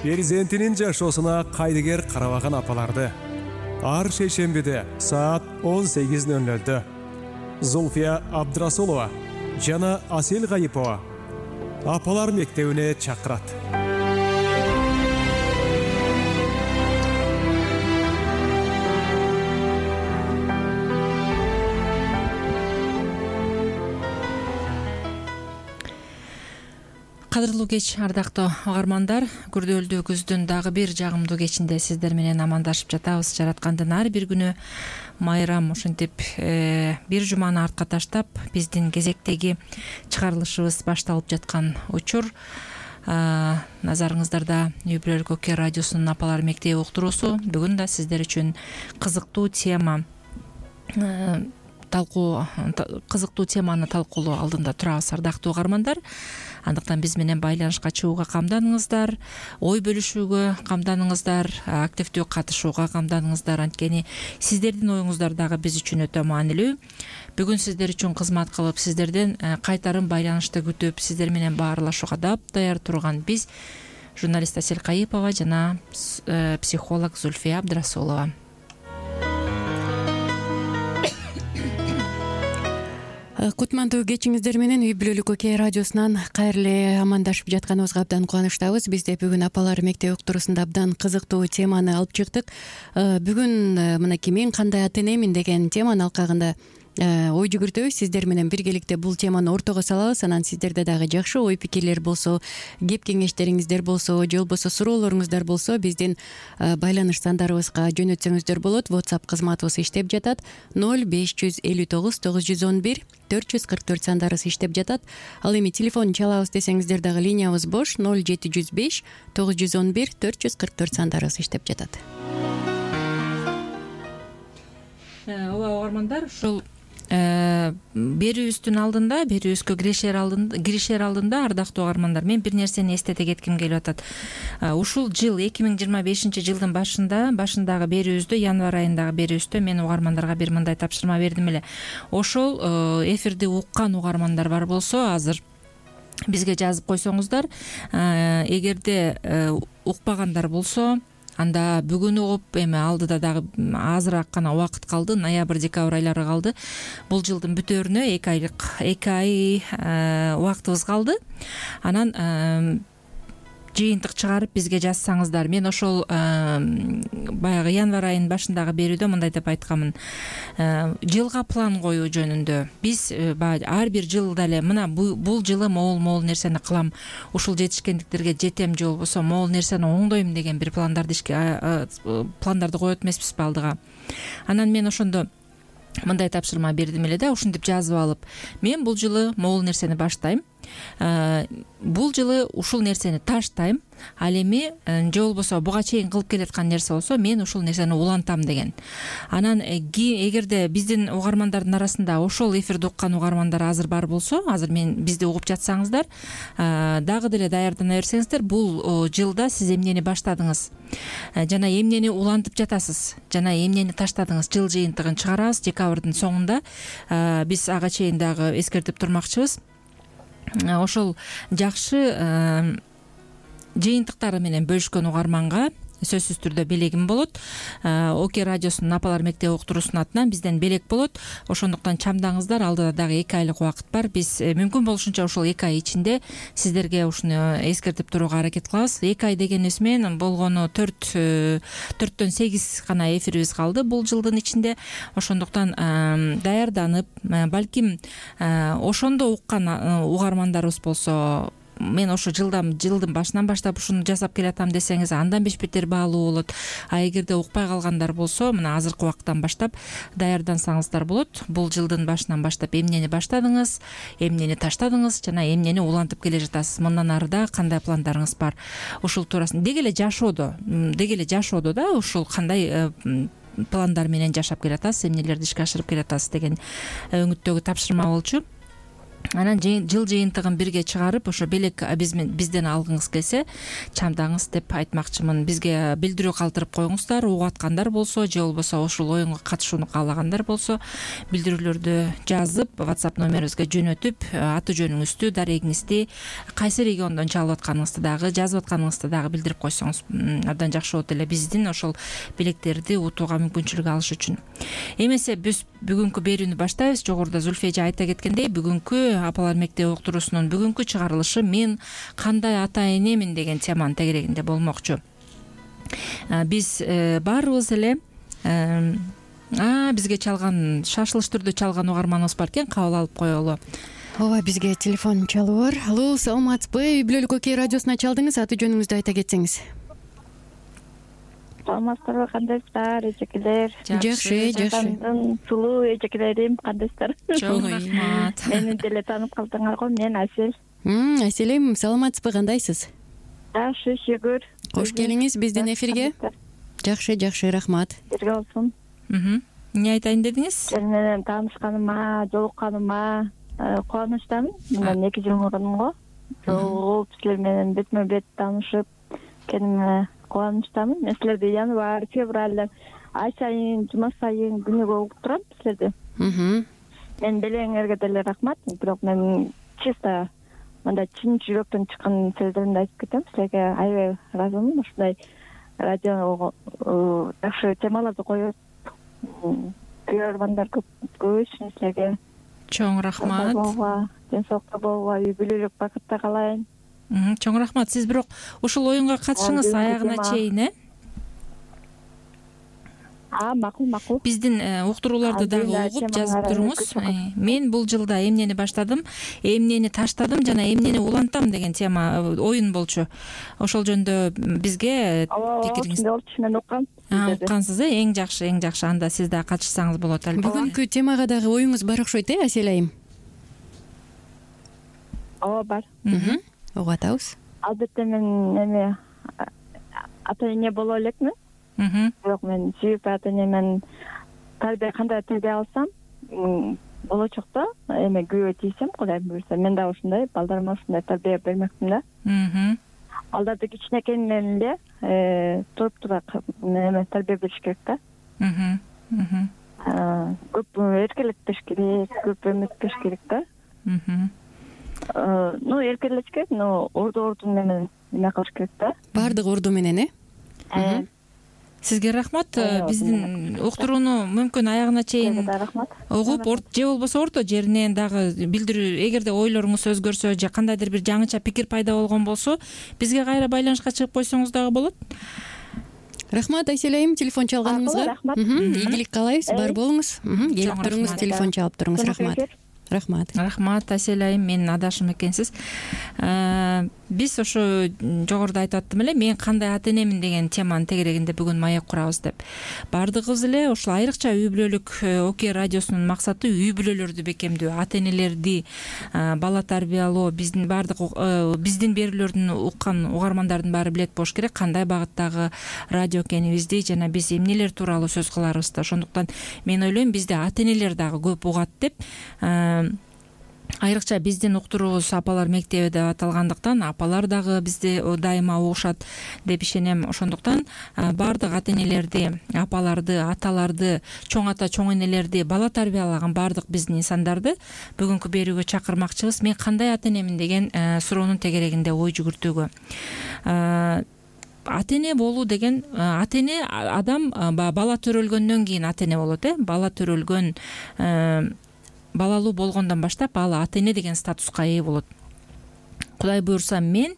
перзентинин жашоосуна кайдыгер карабаган апаларды ар шейшембиде саат 18:00 Зульфия Абдрасулова жана Асел Гайипова апалар мектебине чакырат. Кадырлуу кеч, ардактуу угармандар, күрдөөлдүү күздүн дагы бир жагымдуу кечинде сиздер менен амандашып жатабыз. Жараткандын ар бир күнү майрам ушинтип бир жуманы артка таштап, биздин кезектеги чыгарылышыбыз башталып жаткан учур. Назарыңыздарда Үй Бүлөлүк Оке радиосунун апалар мектеби уктуруусу. Бүгүн да сиздер үчүн кызыктуу теманы талкуулоо алдында турабыз, ардактуу угармандар. Андыктан биз менен байланышка чыгууга камданыңыздар, ой бөлүшүүгө камданыңыздар, активдүү катышууга камданыңыздар. Анткени сиздердин оюңуздар дагы биз үчүн өтө маанилүү. Бүгүн сиздер үчүн кызмат кылып, сиздерден кайтарым байланышты күтүп, сиздер менен баарлашууга даяр турган биз журналист Асел Гайипова жана психолог Зульфия Абдрасулова. Кутмандуу кечиңиздер менен Үй Бүлөлүк Оке радиосунан кайрыле амандашып жатканыбызга абдан кубанычтабыз. Биз де бүгүн апалар мектеби уктуруусунда абдан кызыктуу теманы алып чыктык. Бүгүн мынакей мен кандай ата энемин деген теманын алкагында ой жүгүртөбүз. Сиздер менен биргеликте бул теманы ортого салабыз. Анан сиздерде дагы жакшы ой пикирлер болсо, кеп кеңештериңиздер болсо, же болбосо суроолоруңуздар болсо, биздин байланыш сандарыбызга жөнөтсөңүздөр болот. WhatsApp кызматыбыз иштеп жатат. 0559 911 444 сандарыбыз иштеп жатат. Ал эми телефон чалабыз десеңиздер дагы линиябыз бош. 0705 911 444 сандарыбыз иштеп жатат. Ооба угармандар, ушул берүүбүздүн алдында, берүүбүзгө киришер алдында ардактуу угармандар, мен бир нерсени эстете кетким келип атат. Ушул жыл 2025 жылдын башындагы берүүбүздө, январь айындагы берүүбүздө мен угармандарга бир мындай тапшырма бердим эле. Ошол эфирди уккан угармандар бар болсо, азыр бизге жазып койсоңуздар, эгерде укпагандар болсо, анда бүгүн угуп, эми алдыда дагы азыраак гана убакыт калды, ноябрь, декабрь айлары калды. Бул жылдын бүтөөрүнө 2 ай убактыбыз калды. Анан жыйынтык чыгарып бизге жазсаңыздар. Мен ошол баягы январь айынын башындагы берүүдө мындай деп айтканмын. Жылга план коюу жөнүндө. Биз ар бир жылда эле мына бул жылы могул нерсени кылам, ушул жетишкендиктерге жетем, же болбосо могул нерсени оңдойм деген бир пландарды коет эмеспизби алдыга. Анан мен ошондо мындай тапшырма бердим эле да, ушинтип жазып алып, мен бул жылы могул нерсени баштайм, бул жылы ушул нерсени таштайм, ал эми же болбосо буга чейин кылып келаткан нерсе болсо мен ушул нерсени улантам деген. Анан эгерде биздин угармандардын арасында ошол эфирди уккан угармандар азыр бар болсо, азыр бизди угуп жатсаңыздар, дагы деле даярдана берсеңиздер, бул жылда сиз эмнени баштадыңыз жана эмнени улантып жатасыз, жана эмнени таштадыңыз, жыл жыйынтыгын чыгарабыз декабрдын соңунда. Биз ага чейин дагы эскертип турмакчыбыз. Ошол жакшы жыйынтыктары менен бөлүшкөн угарманга сөзсүз түрдө белегим болот. Оке радиосунун апалар мектеби уктуруусунун атынан бизден белек болот. Ошондуктан чамдаңыздар, алдыда дагы 2 айлык убакыт бар. Биз мүмкүн болушунча ушул 2 ай ичинде сиздерге ушуну эскертип турууга аракет кылабыз. 2 ай дегенибиз менен болгону 4-төн 8 гана эфирибиз калды бул жылдын ичинде. Ошондуктан даярданып, балким ошондо уккан угармандарыбыз болсо, мен ошо жылдын башынан баштап ушуну жасап келатам десеңиз, андан беш-бетер баалуу болот. А эгерде укпай калгандар болсо, мына азыркы убакыттан баштап даярдансаңыздар болот. Бул жылдын башынан баштап эмнени баштадыңыз, эмнени таштадыңыз жана эмнени улантып келе жатасыз. Мындан арыда кандай пландарыңыз бар? Ушул туурасында деги эле жашоодо да ушул кандай пландар менен жашап келатасыз, эмнелерди ишке ашырып келатасыз деген өңүттөгү тапшырма болчу. анан жыл жыйынтыгын бирге чыгарып ошо белек бизден алгыңыз келсе чамдаңыз деп айтмакчымын. Бизге билдирүү калтырып коюңуздар, угуп аткандар болсо же болбосо ушул оюнга катышууну каалагандар болсо билдирүүлөрдү жазып WhatsApp номерибизге жөнөтүп, аты жөнүңүздү, дарегиңизди, кайсы региондон чалып атканыңызды дагы, жазып атканыңызды дагы билдирип койсоңуз абдан жакшы болот эле биздин ошол билектерди утууга мүмкүнчүлүк алыш үчүн. Эмесе биз бүгүнкү берүүнү баштайбыз. Жогоруда Зульфия эже айта кеткендей, бүгүнкү апалар мектеби уктуруусунун бүгүнкү чыгарылышы мен кандай ата энемин деген теманын тегерегинде болмокчу. Биз баарыбыз эле бизге чалган, шашылыш түрдө чалган угарманыбыз бар экен, кабыл алып коелу. ооба, бизге телефон чалуу бар. Алло, саламатсызбы? Үй бүлөлүк окей радиосуна чалдыңыз, аты жөнүңүздү айта кетсеңиз. Саламатсыздарбы, кандайсыздар, эжекелер? Жакшы. Сулуу эжекелерим, кандайсыздар? Чоң рахмат. Мени деле таанып калдыңар го, мен Асел. Аселем, саламатсызбы, кандайсыз? Жакшы, шүгүр. Кош келиңиз биздин эфирге. Жакшы, рахмат. Бирге болсун. Эмне айтайын дедиңиз? Сен менен таанышканыма, жолукканыма кубанычтамын. Мындан 2 жыл мурун го жолугуп, силер менен бетме бет таанышып кенime кубанычтамын. Мен силерди январь, февраль ай сайын, жума сайын күнүгө угуп турам силерди. Мен белеңерге деле рахмат. Бирок мен чисто мындай чын жүрөктөн чыккан сөздөрүмдү айтып кетем. Силерге аябай ыраазымын. Ушундай радиого жакшы темаларды коюп, көрөрмандар көп үчүн силерге Чоң рахмат. Ден соолукта болуба, үй бүлөлүк бакытта калайын. Чоң рахмат. Сиз бирок ушул оюнга катышыңыз аягына чейин, Макул. Биздин уктурууларды дагы угуп жазып туруңуз. Мен бул жылда эмнени баштадым, эмнени таштадым жана эмнени улантам деген тема оюн болчу. Ошол жөнүндө бизге пикириңизди мен уккам. Уккансыз, эң жакшы. Анда сиз да катышсаңыз болот албетте. Бүгүнкү темага дагы оюңуз бар окшойт, Асел айым? Ооба, бар. Угуп атабыз. Албетте мен ата эне боло элекмин. Бирок мен сүйүп ата энемен кандай тарбия алсам, болочокто күбө тийсем, Кудай буйрса, мен дагы ушундай балдарыма ушундай тарбия бермекмин да. Балдарды кичинекейинен эле туруп-тура тарбия бериш керек да. Көп эркелетпеш керек, көп эметпеш керек да. Эркелеш керек, орду менен эме кылыш керек да. Баардык орду менен, Сизге рахмат. Биздин уктурууну мүмкүн аягына чейин угуп, же болбосо орто жеринен дагы билдирүү, эгерде ойлоруңуз өзгөрсө же кандайдыр бир жаңыча пикир пайда болгон болсо, бизге кайра байланышка чыгып койсоңуз дагы болот. Рахмат, Айсель айым, телефон чалганыңызга. Ийгилик каалайбыз, бар болуңуз. Келип туруңуз, телефон чалып туруңуз. Рахмат, Асел айым, менин адашым экенсиз. Биз ошо жогоруда айтып аттым эле, мен кандай ата энемин деген теманын тегерегинде бүгүн маек курабыз деп. Бардыгыбыз эле ошол айрыкча үй бүлөлүк окей радиосунун максаты үй бүлөлөрдү бекемдөө, ата энелерди бала тарбиялоо, биздин бардык биздин берүүлөрдүн уккан угармандардын баары билет болуш керек кандай багыттагы радио экенибизди жана биз эмнелер тууралуу сөз кыларыбызды. Ошондуктан мен ойлойм бизде ата энелер дагы көп угат деп. Айрыкча биздин уктуруубуз апалар мектеби деп аталгандыктан апалар дагы бизди дайыма угушат деп ишенем. Ошондуктан баардык ата энелерди, апаларды, аталарды, чоң ата, чоң энелерди, бала тарбиялаган баардык биздин инсандарды бүгүнкү берүүгө чакырмакчыбыз. Мен кандай ата энемин деген суроонун тегерегинде ой жүгүртүүгө. Ата эне болуу деген, ата эне адам бала төрөлгөндөн кийин ата эне болот, бала төрөлгөн, балалуу болгондон баштап бала ата эне деген статуска ээ болот. Кудай буйрса, мен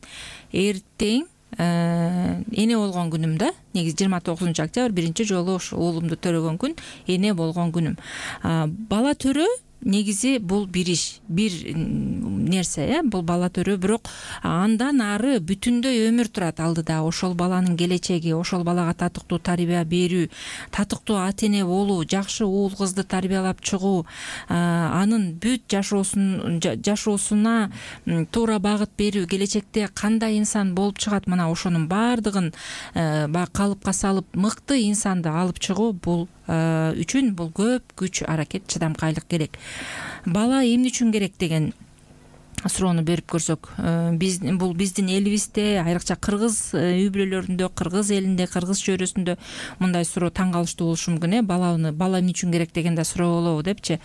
эртең эне болгон күнүм да, негизи 29 октябрь биринчи жолу ошо уулумду төрөгөн күн эне болгон күнүм. Бала төрөө негизи бул бир иш, бир нерсе, бул бала төрөө, бирок андан ары бүтүндөй өмүр турат алдыда. Ошол баланын келечеги, ошол балага татыктуу тарбия берүү, татыктуу ата эне болуу, жакшы уул кызды тарбиялап чыгуу, анын бүт жашоосуна туура багыт берүү, келечекте кандай инсан болуп чыгат, мына ошонун баардыгын калыпка салып мыкты инсанды алып чыгуу, бул үчүн бул көп күч, аракет, чыдамкайлык керек. Бала эмне үчүн керек деген суроону берип көрсөк, бул биздин элибизде, айрыкча кыргыз үй бүлөлөрүндө, кыргыз элинде, кыргыз чөйрөсүндө мындай суроо таң калыштуу болушу мүмкүн. Бала эмне үчүн керек деген да суроо болобу депчи.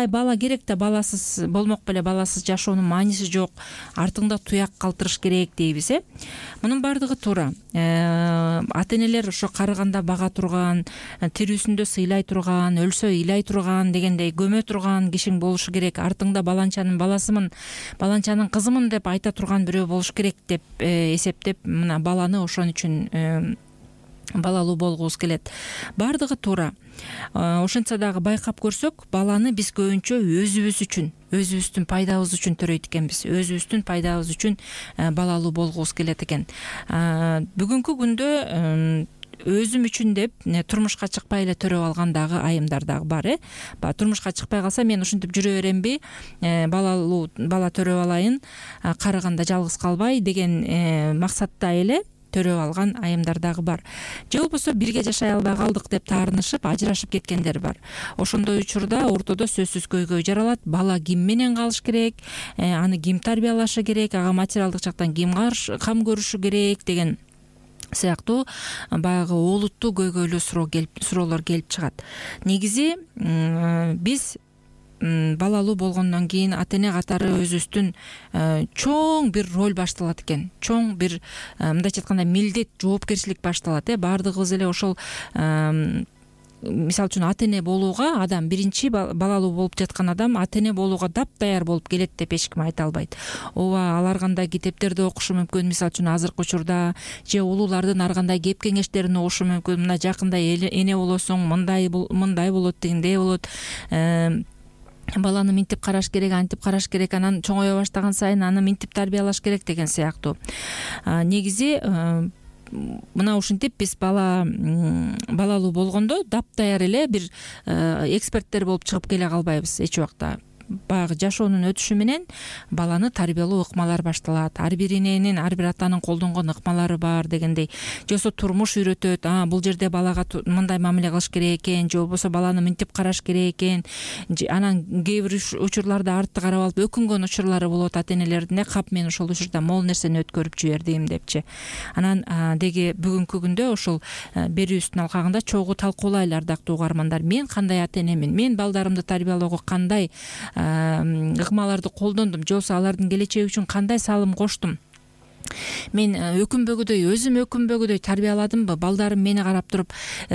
Бала керек да, баласыз болмок беле, баласыз жашоонун мааниси жок, артыңда туяк калтырыш керек дейбиз. Мунун баардыгы туура. Ата энелер ошо карыганда бага турган, тирүүсүндө сыйлай турган, өлсө ыйлай турган дегендей көмө турган кишиң болушу керек. Артыңда баланчанын баласымын, баланчанын кызымын деп айта турган бирөө болуш керек деп эсептеп, мына баланы ошон үчүн балалуу болгубуз келет. Баардыгы туура. Ошентсе дагы байкап көрсөк, баланы биз көбүнчө өзүбүз үчүн, өзүбүздүн пайдабыз үчүн төрөйт экенбиз. Өзүбүздүн пайдабыз үчүн балалуу болгубуз келет экен. Бүгүнкү күндө өзүм үчүн деп турмушка чыкпай эле төрөп алган дагы айымдар дагы бар. Турмушка чыкпай калса мен ушинтип жүрө беремби, бала төрөп алайын, карыганда жалгыз калбай деген максатта эле төрөп алган айымдар дагы бар. Же болбосо бирге жашай албай калдык деп таарынышып ажырашып кеткендер бар. Ошондой учурда ортодо сөзсүз көйгөй жаралат. Бала ким менен калыш керек, аны ким тарбиялашы керек, ага материалдык жактан ким кам көрүшү керек деген сыяктуу баягы олуттуу көйгөйлүү суроолор келип чыгат. Негизи биз балалуу болгондон кийин ата эне катары өзүбүздүн чоң бир роль башталат экен. Чоң бир мындайча айтканда милдет, жоопкерчилик башталат. Баардыгыбыз эле ошол мисалы үчүн ата эне болууга, адам биринчи балалуу болуп жаткан адам ата эне болууга дапдаяр болуп келет деп эч ким айта албайт. Ооба, алар кандай китептерди окушу мүмкүн, мисалы үчүн азыркы учурда, же улуулардын ар кандай кеп кеңештерин угушу мүмкүн. Мына жакында эне болосуң, мындай болот, дегендей болот. Баланы минтип караш керек, антип караш керек, анан чоңое баштаган сайын аны минтип тарбиялаш керек деген сыяктуу. Негизи мына ушинтип биз балалуу болгондо дапдаяр эле бир эксперттер болуп чыгып келе калбайбыз эч убакта. Баягы жашоонун өтүшү менен баланы тарбиялоо ыкмалар башталат. Ар бир эненин, ар бир атанын колдонгон ыкмалары бар дегендей. Же болбосо турмуш үйрөтөт. Бул жерде балага мындай мамиле кылыш керек экен, же болбосо баланы минтип караш керек экен. Анан кээ бир учурларда артты карап алып өкүнгөн учурлары болот ата энелердин. Кап мен ошол учурда могул нерсени өткөрүп жибердим депчи. Анан деги бүгүнкү күндө ошол берүүбүздүн алкагында чогуу талкуулайлы, ардактуу угармандар. Мен кандай ата энемин? Мен балдарымды тарбиялоого кандай ыкмаларды колдондум, же болбосо алардын келечеги үчүн кандай салым коштум? Мен өзүм өкүнбөгүдөй тарбияладымбы? Балдарым мени карап туруп,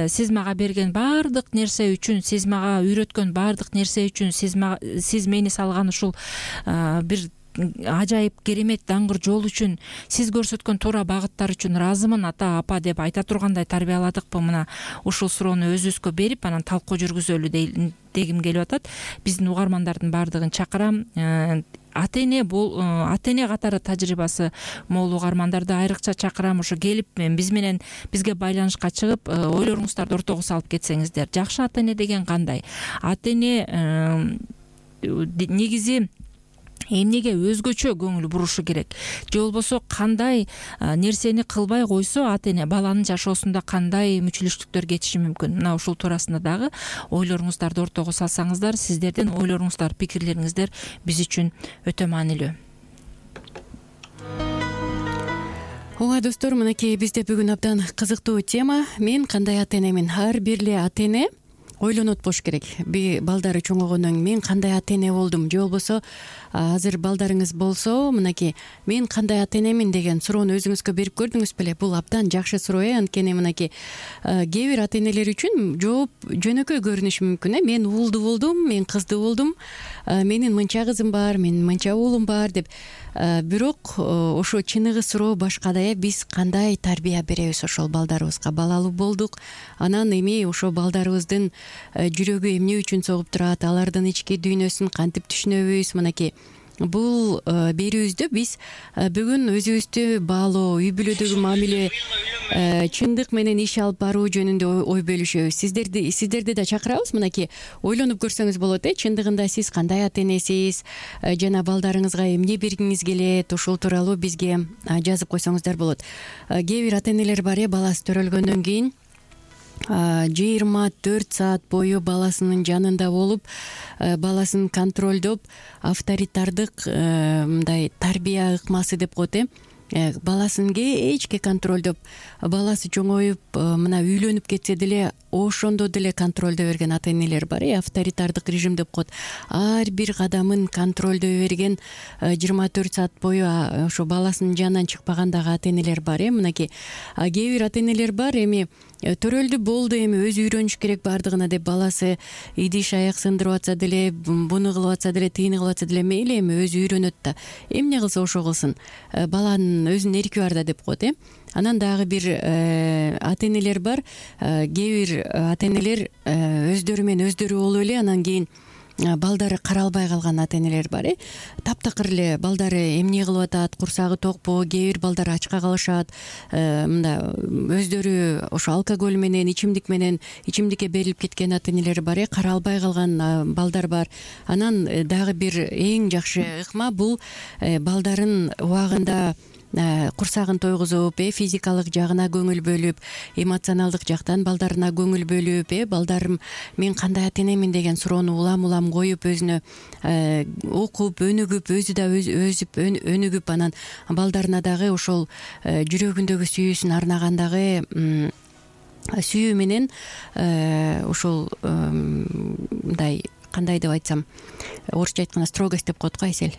сиз мага берген баардык нерсе үчүн, сиз мага үйрөткөн баардык нерсе үчүн, сиз мени салган ушул бир ажайып керемет даңгыр жол үчүн, сиз көрсөткөн туура багыттар үчүн ыраазымын ата, апа деп айта тургандай тарбияладыкпы? Мына ушул суроону өзүбүзгө берип, анан талкуу жүргүзөлү дегим келип атат. Биздин угармандардын баардыгын чакырам. Ата эне катары тажрыйбасы мол угармандарды айрыкча чакырам. Ошо келип бизге байланышка чыгып, ойлоруңуздарды ортого салып кетсеңиздер. Жакшы ата эне деген кандай? Ата эне негизи эмнеге өзгөчө көңүл бурушу керек, же болбосо кандай нерсени кылбай койсо ата эне баланын жашоосунда кандай мүчүлүштүктөр кетиши мүмкүн? Мына ушул туурасында дагы ойлоруңуздарды ортого салсаңыздар, сиздердин ойлоруңуздар, пикирлериңиздер биз үчүн өтө маанилүү. Ооба достор, мынакей бизде бүгүн абдан кызыктуу тема. Мен кандай ата энемин? Ар бир эле ата эне ойлонот болуш керек. Балдары чоңойгондон кийин мен кандай ата эне болдум, же болбосо азыр балдарыңыз болсо, мынакей мен кандай ата энемин деген суроону өзүңүзгө берип көрдүңүз беле? Бул абдан жакшы суроо. Анткени мынакей кээ бир ата энелер үчүн жооп жөнөкөй көрүнүшү мүмкүн. Мен уулду болдум, мен кыздуу болдум, менин мынча кызым бар, менин мынча уулум бар деп. Бирок ошо чыныгы суроо башка да. Биз кандай тарбия беребиз ошол балдарыбызга? Балалуу болдук, анан эми ошо балдарыбыздын жүрөгү эмне үчүн согуп турат, алардын ички дүйнөсүн кантип түшүнөбүз? Мынакей бул берүүбүздө биз бүгүн өзүбүздү баалоо, үй бүлөдөгү мамиле, чындык менен иш алып баруу жөнүндө ой бөлүшөбүз. Сиздерди да чакырабыз. Мынакей ойлонуп көрсөңүз болот. Чындыгында сиз кандай ата энесиз, жана балдарыңызга эмне бергиңиз келет? Ушул тууралуу бизге жазып койсоңуздар болот. Кээ бир ата энелер бар, баласы төрөлгөндөн кийин 24 саат бою баласынын жанында болуп, баласын контролдоп, авторитардык мындай тарбия ыкмасы деп коет баласын кечке контролдоп, баласы чоңоюп мына үйлөнүп кетсе деле ошондо деле контролдой берген ата энелер бар, авторитардык режим деп коет. Ар бир кадамын контролдой берген 24 саат бою ошо баласынын жанынан чыкпаган дагы ата энелер бар. Мынакей кээ бир ата энелер бар, эми төрөлдү болду, эми өзү үйрөнүш керек баардыгына деп баласы идиш аяк сындырып атса деле, буну кылып атса деле, тигини кылып атса деле мейли, эми өзү үйрөнөт да. Эмне кылса ошо кылсын, баланын өзүнүн эрки бар да деп коет. Анан дагы бир ата энелер бар, кээ бир ата энелер өздөрү менен өздөрү болуп эле анан кийин балдары каралбай калган ата энелер бар. Таптакыр эле балдары эмне кылып атат, курсагы токпу, кээ бир балдар ачка калышат, мында өздөрү ошо алкоголь менен, ичимдикке берилип кеткен ата энелер бар, каралбай калган балдар бар. Анан дагы бир эң жакшы ыкма бул балдарын убагында курсагын тойгузуп, физикалык жагына көңүл бөлүп, эмоционалдык жактан балдарына көңүл бөлүп, балдарым мен кандай ата энемин деген суроону улам коюп, өзүнө окуп, өнүгүп, өзү да өсүп өнүгүп, анан балдарына дагы ошол жүрөгүндөгү сүйүүсүн арнагандагы сүйүү менен ошол мындай кандай деп айтсам, орусча айтканда строгость деп коет го, Айсель.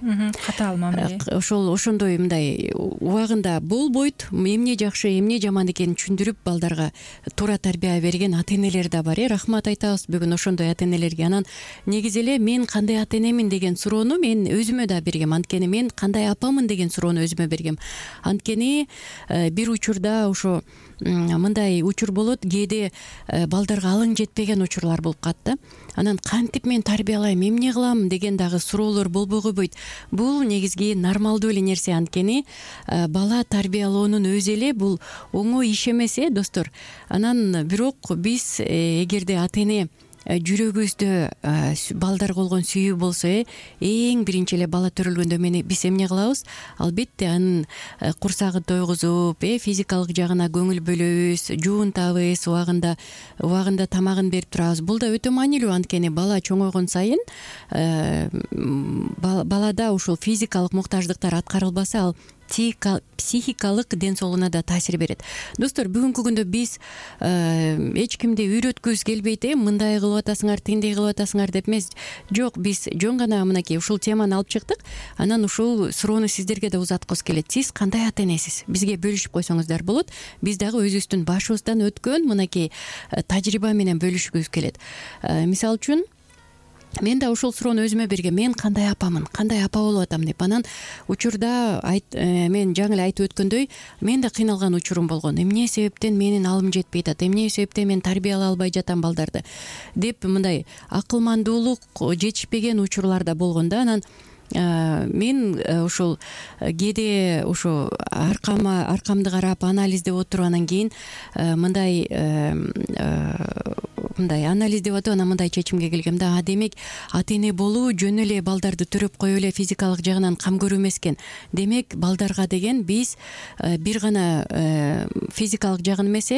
Катаал мамиле. Ошондой мындай убагында болбойт, эмне жакшы, эмне жаман экенин түшүндүрүп, балдарга туура тарбия берген ата энелер да бар. Рахмат айтабыз бүгүн ошондой ата энелерге. Анан негизи эле мен кандай ата энемин деген суроону мен өзүмө да бергем. Анткени мен кандай апамын деген суроону өзүмө бергем. Анткени бир учурда ошо мындай учур болот, кээде балдарга алың жетпеген учурлар болуп калат да. Анан кантип мен тарбиялайм, эмне кылам деген дагы суроолор болбой койбойт. Бул негизги нормалдуу эле нерсе. Анткени бала тарбиялоонун өзү эле бул оңой иш эмес, достор. Анан бирок биз эгерде ата эне жүрөгүбүздө балдарга болгон сүйүү болсо, эң биринчи эле бала төрөлгөндө биз эмне кылабыз? Албетте анын курсагын тойгузуп, физикалык жагына көңүл бөлөбүз, жуунтабыз, убагында тамагын берип турабыз. Бул да өтө маанилүү, анткени бала чоңойгон сайын балада ушул физикалык муктаждыктар аткарылбаса, ал психикалык ден соолугуна да таасир берет. Достор, бүгүнкү күндө биз эч кимди үйрөткүбүз келбейт, мындай кылып атасыңар, тигиндей кылып атасыңар деп эмес. Жок, биз жөн гана мынакей ушул теманы алып чыктык. Анан ушул суроону сиздерге да узаткыбыз келет. Сиз кандай ата энесиз? Бизге бөлүшүп койсоңуздар болот. Биз дагы өзүбүздүн башыбыздан өткөн мынакей тажрыйба менен бөлүшкүбүз келет. Мисалы үчүн, мен да ушул суроону өзүмө бергем. Мен кандай апамын, кандай апа болуп атам деп. Анан учурда мен жаңы эле айтып өткөндөй, мен да кыйналган учурум болгон. Эмне себептен менин алым жетпей атат, эмне себептен мен тарбиялай албай жатам балдарды деп мындай акылмандуулук жетишпеген учурлар да болгон да. Анан мен ушул кээде ошо аркамды карап анализдеп отуруп, анан кийин мындай анализдеп атып, анан мындай чечимге келгем да. Демек ата эне болуу жөн эле балдарды төрөп коюп эле физикалык жагынан кам көрүү эмес экен. Демек балдарга деген биз бир гана физикалык жагын эмес,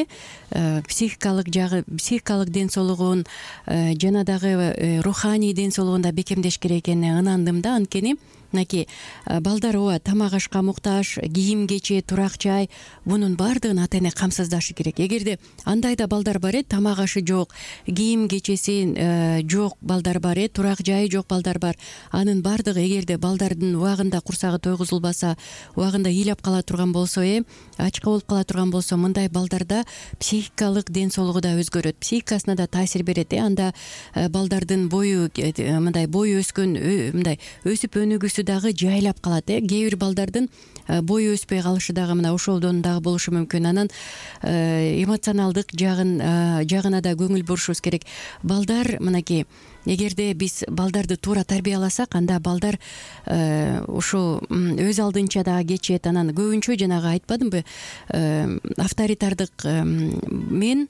психикалык ден соолугун жана дагы руханий ден соолугун да бекемдеш керек экенине ынандым да. Анткени мынакей балдар тамак ашка муктаж, кийим кече, турак жай, бунун баардыгын ата эне камсыздашы керек. Эгерде андай да балдар бар, тамак ашы жок, кийим кечеси жок балдар бар, турак жайы жок балдар бар, анын баардыгы эгерде балдардын убагында курсагы тойгузулбаса, убагында ыйлап кала турган болсо, ачка болуп кала турган болсо, мындай балдарда психикалык ден соолугу да өзгөрөт, психикасына да таасир берет. Анда балдардын бою мындай бою өскөн, мындай өсүп өнүгүүсү дагы жайлап калат. Кээ бир балдардын бою өспөй калышы дагы мына ошолдон дагы болушу мүмкүн. Анан эмоционалдык жагына да көңүл бурушубуз керек. Балдар мынакей, эгерде биз балдарды туура тарбияласак, анда балдар ушу өз алдынча дагы кечет. Анан көбүнчө жанагы айтпадымбы, авторитардык мен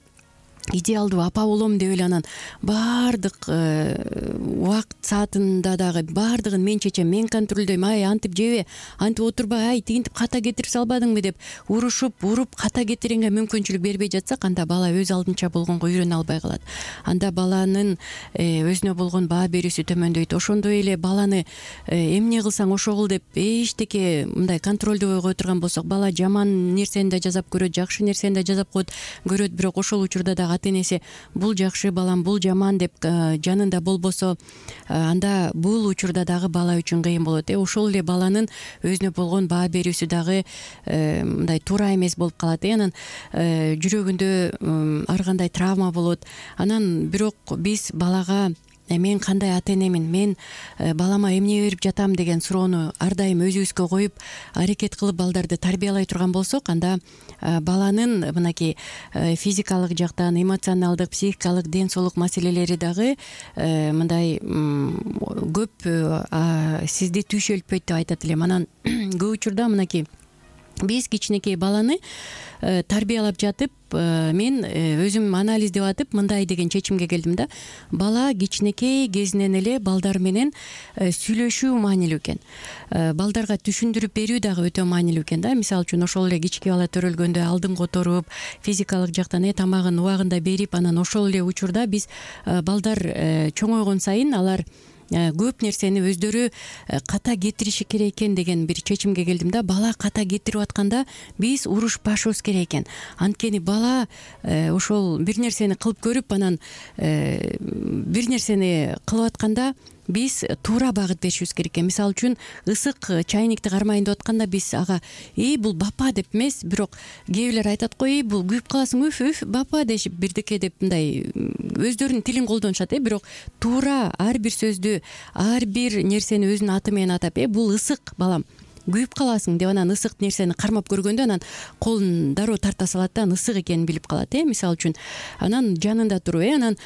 идеалдуу апа болом деп эле анан баардык убакыт саатында дагы баардыгын мен чечем, мен контролдойм, ай антип жебе, антип отурба, ай тигинтип ката кетирип салбадыңбы деп урушуп уруп ката кетиргенге мүмкүнчүлүк бербей жатсак, анда бала өз алдынча болгонго үйрөнө албай калат. Анда баланын өзүнө болгон баа берүүсү төмөндөйт. Ошондой эле баланы эмне кылсаң ошо кыл деп эчтеке мындай контролдой койгон болсок, бала жаман нерсени да жасап көрөт, жакшы нерсени да жасап көрөт, бирок ошол учурда дагы ата-энеси бул жакшы балам, бул жаман деп жанында болбосо, анда бул учурда дагы бала үчүн кыйын болот. Ошол эле баланын өзүнө болгон баа берүүсү дагы мындай туура эмес болуп калат. Анан жүрөгүндө ар кандай травма болот. Анан бирок биз балага мен кандай ата-энемин, мен балама эмне берип жатам деген суроону ар дайым өзүбүзгө коюп аракет кылып балдарды тарбиялай турган болсок, анда баланын мынакей физикалык жактан, эмоционалдык, психикалык ден соолук маселелери дагы мындай көп сизди түйшөлтпөйт деп айтат элем. Анан көп учурда мынакей биз кичинекей баланы тарбиялап жатып, мен өзүм анализдеп атып мындай деген чечимге келдим да: бала кичинекей кезинен эле балдар менен сүйлөшүү маанилүү экен. Балдарга түшүндүрүп берүү дагы өтө маанилүү экен да. Мисалы үчүн ошол эле кички бала төрөлгөндө алдын которуп, физикалык жактан тамагын убагында берип, анан ошол эле учурда биз балдар чоңойгон сайын алар көп нерсени өздөрү ката кетириши керек экен деген бир чечимге келдим да. Бала ката кетирип атканда биз урушпашыбыз керек экен. Анткени бала ошол бир нерсени кылып көрүп, анан бир нерсени кылып атканда биз туура багыт беришибиз керек экен. Мисалы үчүн ысык чайникти кармайын деп атканда биз ага бул бапа деп эмес, бирок кээ бирлер айтат го, бул күйүп каласың, үф бапа дешип бирдеке деп мындай өздөрүнүн тилин колдонушат. Бирок туура ар бир сөздү, ар бир нерсени өзүнүн аты менен атап, бул ысык балам, күйүп каласың деп анан ысык нерсени кармап көргөндө анан колун дароо тарта салат да, ысык экенин билип калат. Мисалы үчүн анан жанында туруп анан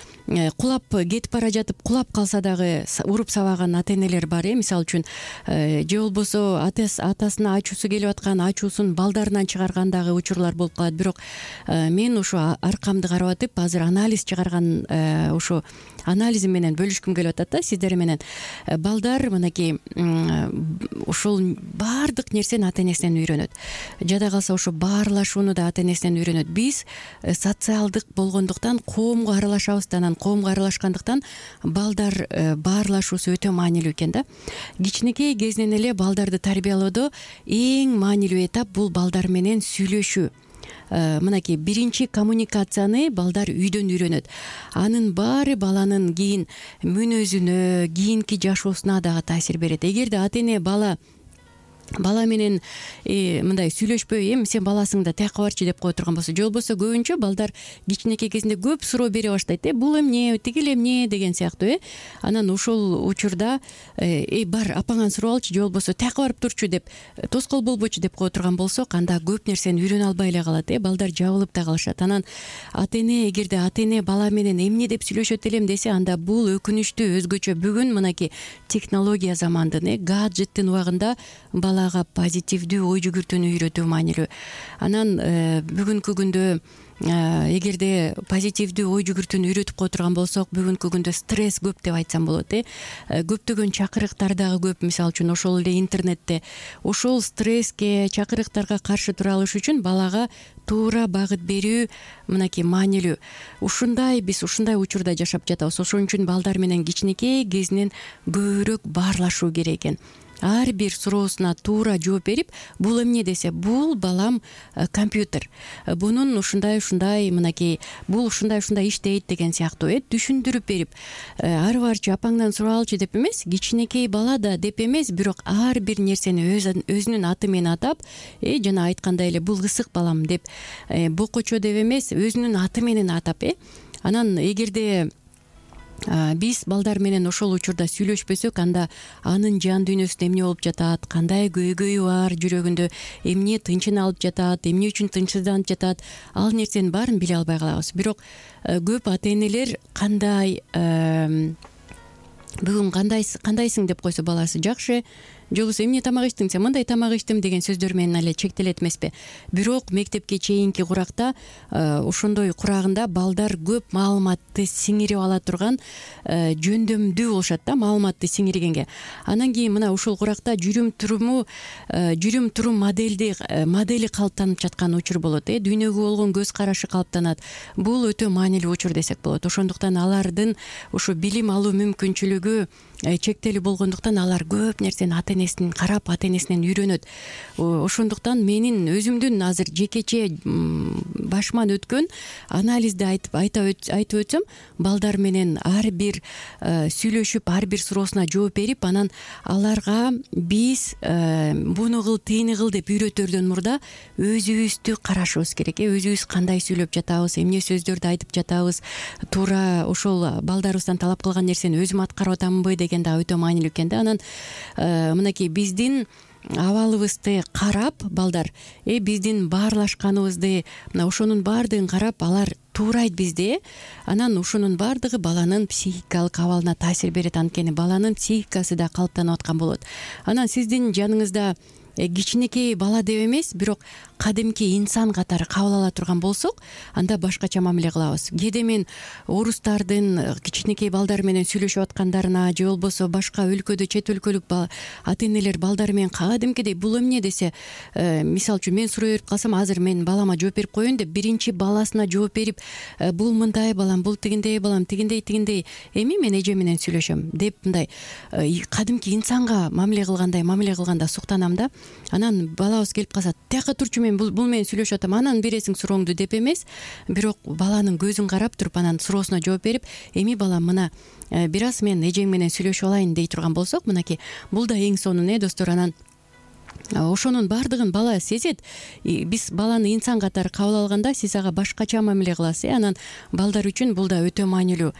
кулап кетип бара жатып кулап калса дагы уруп сабаган ата-энелер бар. Мисалы үчүн же болбосо атасына ачуусу келип аткан, ачуусун балдарынан чыгарган дагы учурлар болуп калат. Бирок мен ошо аркамды карап атып азыр анализ чыгарган ошо анализим менен бөлүшкүм келип атат да сиздер менен. Балдар мынакей ошол баардык нерсени ата-энесинен үйрөнөт. Жада калса ошо баарлашууну да ата-энесинен үйрөнөт. Биз социалдык болгондуктан коомго аралашабыз да, анан коомго аралашкандыктан балдар баарлашуусу өтө маанилүү экен да. Кичинекей кезинен эле балдарды тарбиялоодо эң маанилүү этап бул балдар менен сүйлөшүү. Мынакей биринчи коммуникацияны балдар үйдөн үйрөнөт. Анын баары баланын кийин мүнөзүнө, кийинки жашоосуна дагы таасир берет. Эгерде ата-эне бала менен мындай сүйлөшпөй, сен баласың да тияка барчы деп кое турган болсо, же болбосо көбүнчө балдар кичинекей кезинде көп суроо бере баштайт. Бул эмне, тигил эмне деген сыяктуу. Анан ошол учурда бар апаңан сурап алчы, же болбосо тияка барып турчу деп, тоскоол болбочу деп кое турган болсок, анда көп нерсени үйрөнө албай эле калат. Балдар жабылып да калышат. Анан ата-эне, эгерде ата-эне бала менен эмне деп сүйлөшөт элем десе, анда бул өкүнүчтүү өзгөчө. Бүгүн мынакей технология замандын, гаджеттин убагында балага позитивдүү ой жүгүртүүнү үйрөтүү маанилүү. Анан бүгүнкү күндө эгерде позитивдүү ой жүгүртүүнү үйрөтүп кое турган болсок, бүгүнкү күндө стресс көп деп айтсам болот. Көптөгөн чакырыктар дагы көп. Мисалы үчүн ошол эле интернетте ошол стресске, чакырыктарга каршы тура алыш үчүн балага туура багыт берүү мынакей маанилүү. Биз ушундай учурда жашап жатабыз. Ошон үчүн балдар менен кичинекей кезинен көбүрөөк баарлашуу керек экен. Ар бир суроосуна туура жооп берип, бул эмне десе, бул балам компьютер, бунун ушундай мынакей, бул ушундай иштейт деген сыяктуу түшүндүрүп берип, ары барчы апаңдан сурап алчы деп эмес, кичинекей бала да деп эмес, бирок ар бир нерсени өзүнүн аты менен атап, жана айткандай эле бул ысык балам деп, бокочо деп эмес, өзүнүн аты менен атап. Анан эгерде биз балдар менен ошол учурда сүйлөшпөсөк, анда анын жан дүйнөсүндө эмне болуп жатат, кандай көйгөйү бар, жүрөгүндө эмне тынчын алып жатат, эмне үчүн тынчсызданып жатат, ал нерсенин баарын биле албай калабыз. Бирок көп ата-энелер бүгүн кандайсың деп койсо баласы жакшы, же болбосо эмне тамак ичтиң, сен мындай тамак ичтим деген сөздөр менен эле чектелет эмеспи. Бирок мектепке чейинки куракта ошондой курагында балдар көп маалыматты сиңирип ала турган жөндөмдүү болушат да, маалыматты сиңиргенге. Анан кийин мына ушул куракта жүрүм турум модели калыптанып жаткан учур болот. Дүйнөгө болгон көз карашы калыптанат. Бул өтө маанилүү учур десек болот. Ошондуктан алардын ушу билим алуу мүмкүнчүлүгү чектелүү болгондуктан алар көп нерсени ата-энесинен карап, ата-энесинен үйрөнөт. Ошондуктан менин өзүмдүн азыр жекече башыман өткөн анализди айтып өтсөм, балдар менен ар бир сүйлөшүп, ар бир суроосуна жооп берип, анан аларга биз буну кыл, тиини кыл деп үйрөтөрдөн мурда өзүбүздү карашыбыз керек. Өзүбүз кандай сүйлөп жатабыз, эмне сөздөрдү айтып жатабыз, туура ошол балдарыбыздан талап кылган нерсени өзүм аткарып атамынбы деген да өтө маанилүү экен да. Анан мынакей биздин абалыбызды карап балдар, биздин баарлашканыбызды, мына ошонун баардыгын карап алар туурайт бизде. Анан ошонун баардыгы баланын психикалык абалына таасир берет. Анткени баланын психикасы да калыптанып аткан болот. Анан сиздин жаныңызда кичинекей бала деп эмес, бирок кадимки инсан катары кабыл ала турган болсок, анда башкача мамиле кылабыз. Кээде мен орустардын кичинекей балдар менен сүйлөшүп аткандарына, же болбосо башка өлкөдө, чет өлкөлүк ата-энелер балдары менен кадимкидей бул эмне десе, мисалы үчүн мен суроо берип калсам, азыр мен балама жооп берип коеюн деп биринчи баласына жооп берип, бул мындай балам, бул тигиндей балам, тигиндей, эми мен эже менен сүйлөшөм деп мындай кадимки инсанга мамиле кылганда суктанам да. Анан балабыз келип калса, тияка турчу, мен бул менен сүйлөшүп атам, анан бересиң сурооңду деп эмес, бирок баланын көзүн карап туруп, анан суроосуна жооп берип, эми балам мына бир аз мен эжең менен сүйлөшүп алайын дей турган болсок, мынакей бул да эң сонун достор. Анан ошонун баардыгын бала сезет. Биз баланы инсан катары кабыл алганда сиз ага башкача мамиле кыласыз. Анан балдар үчүн бул да өтө маанилүү.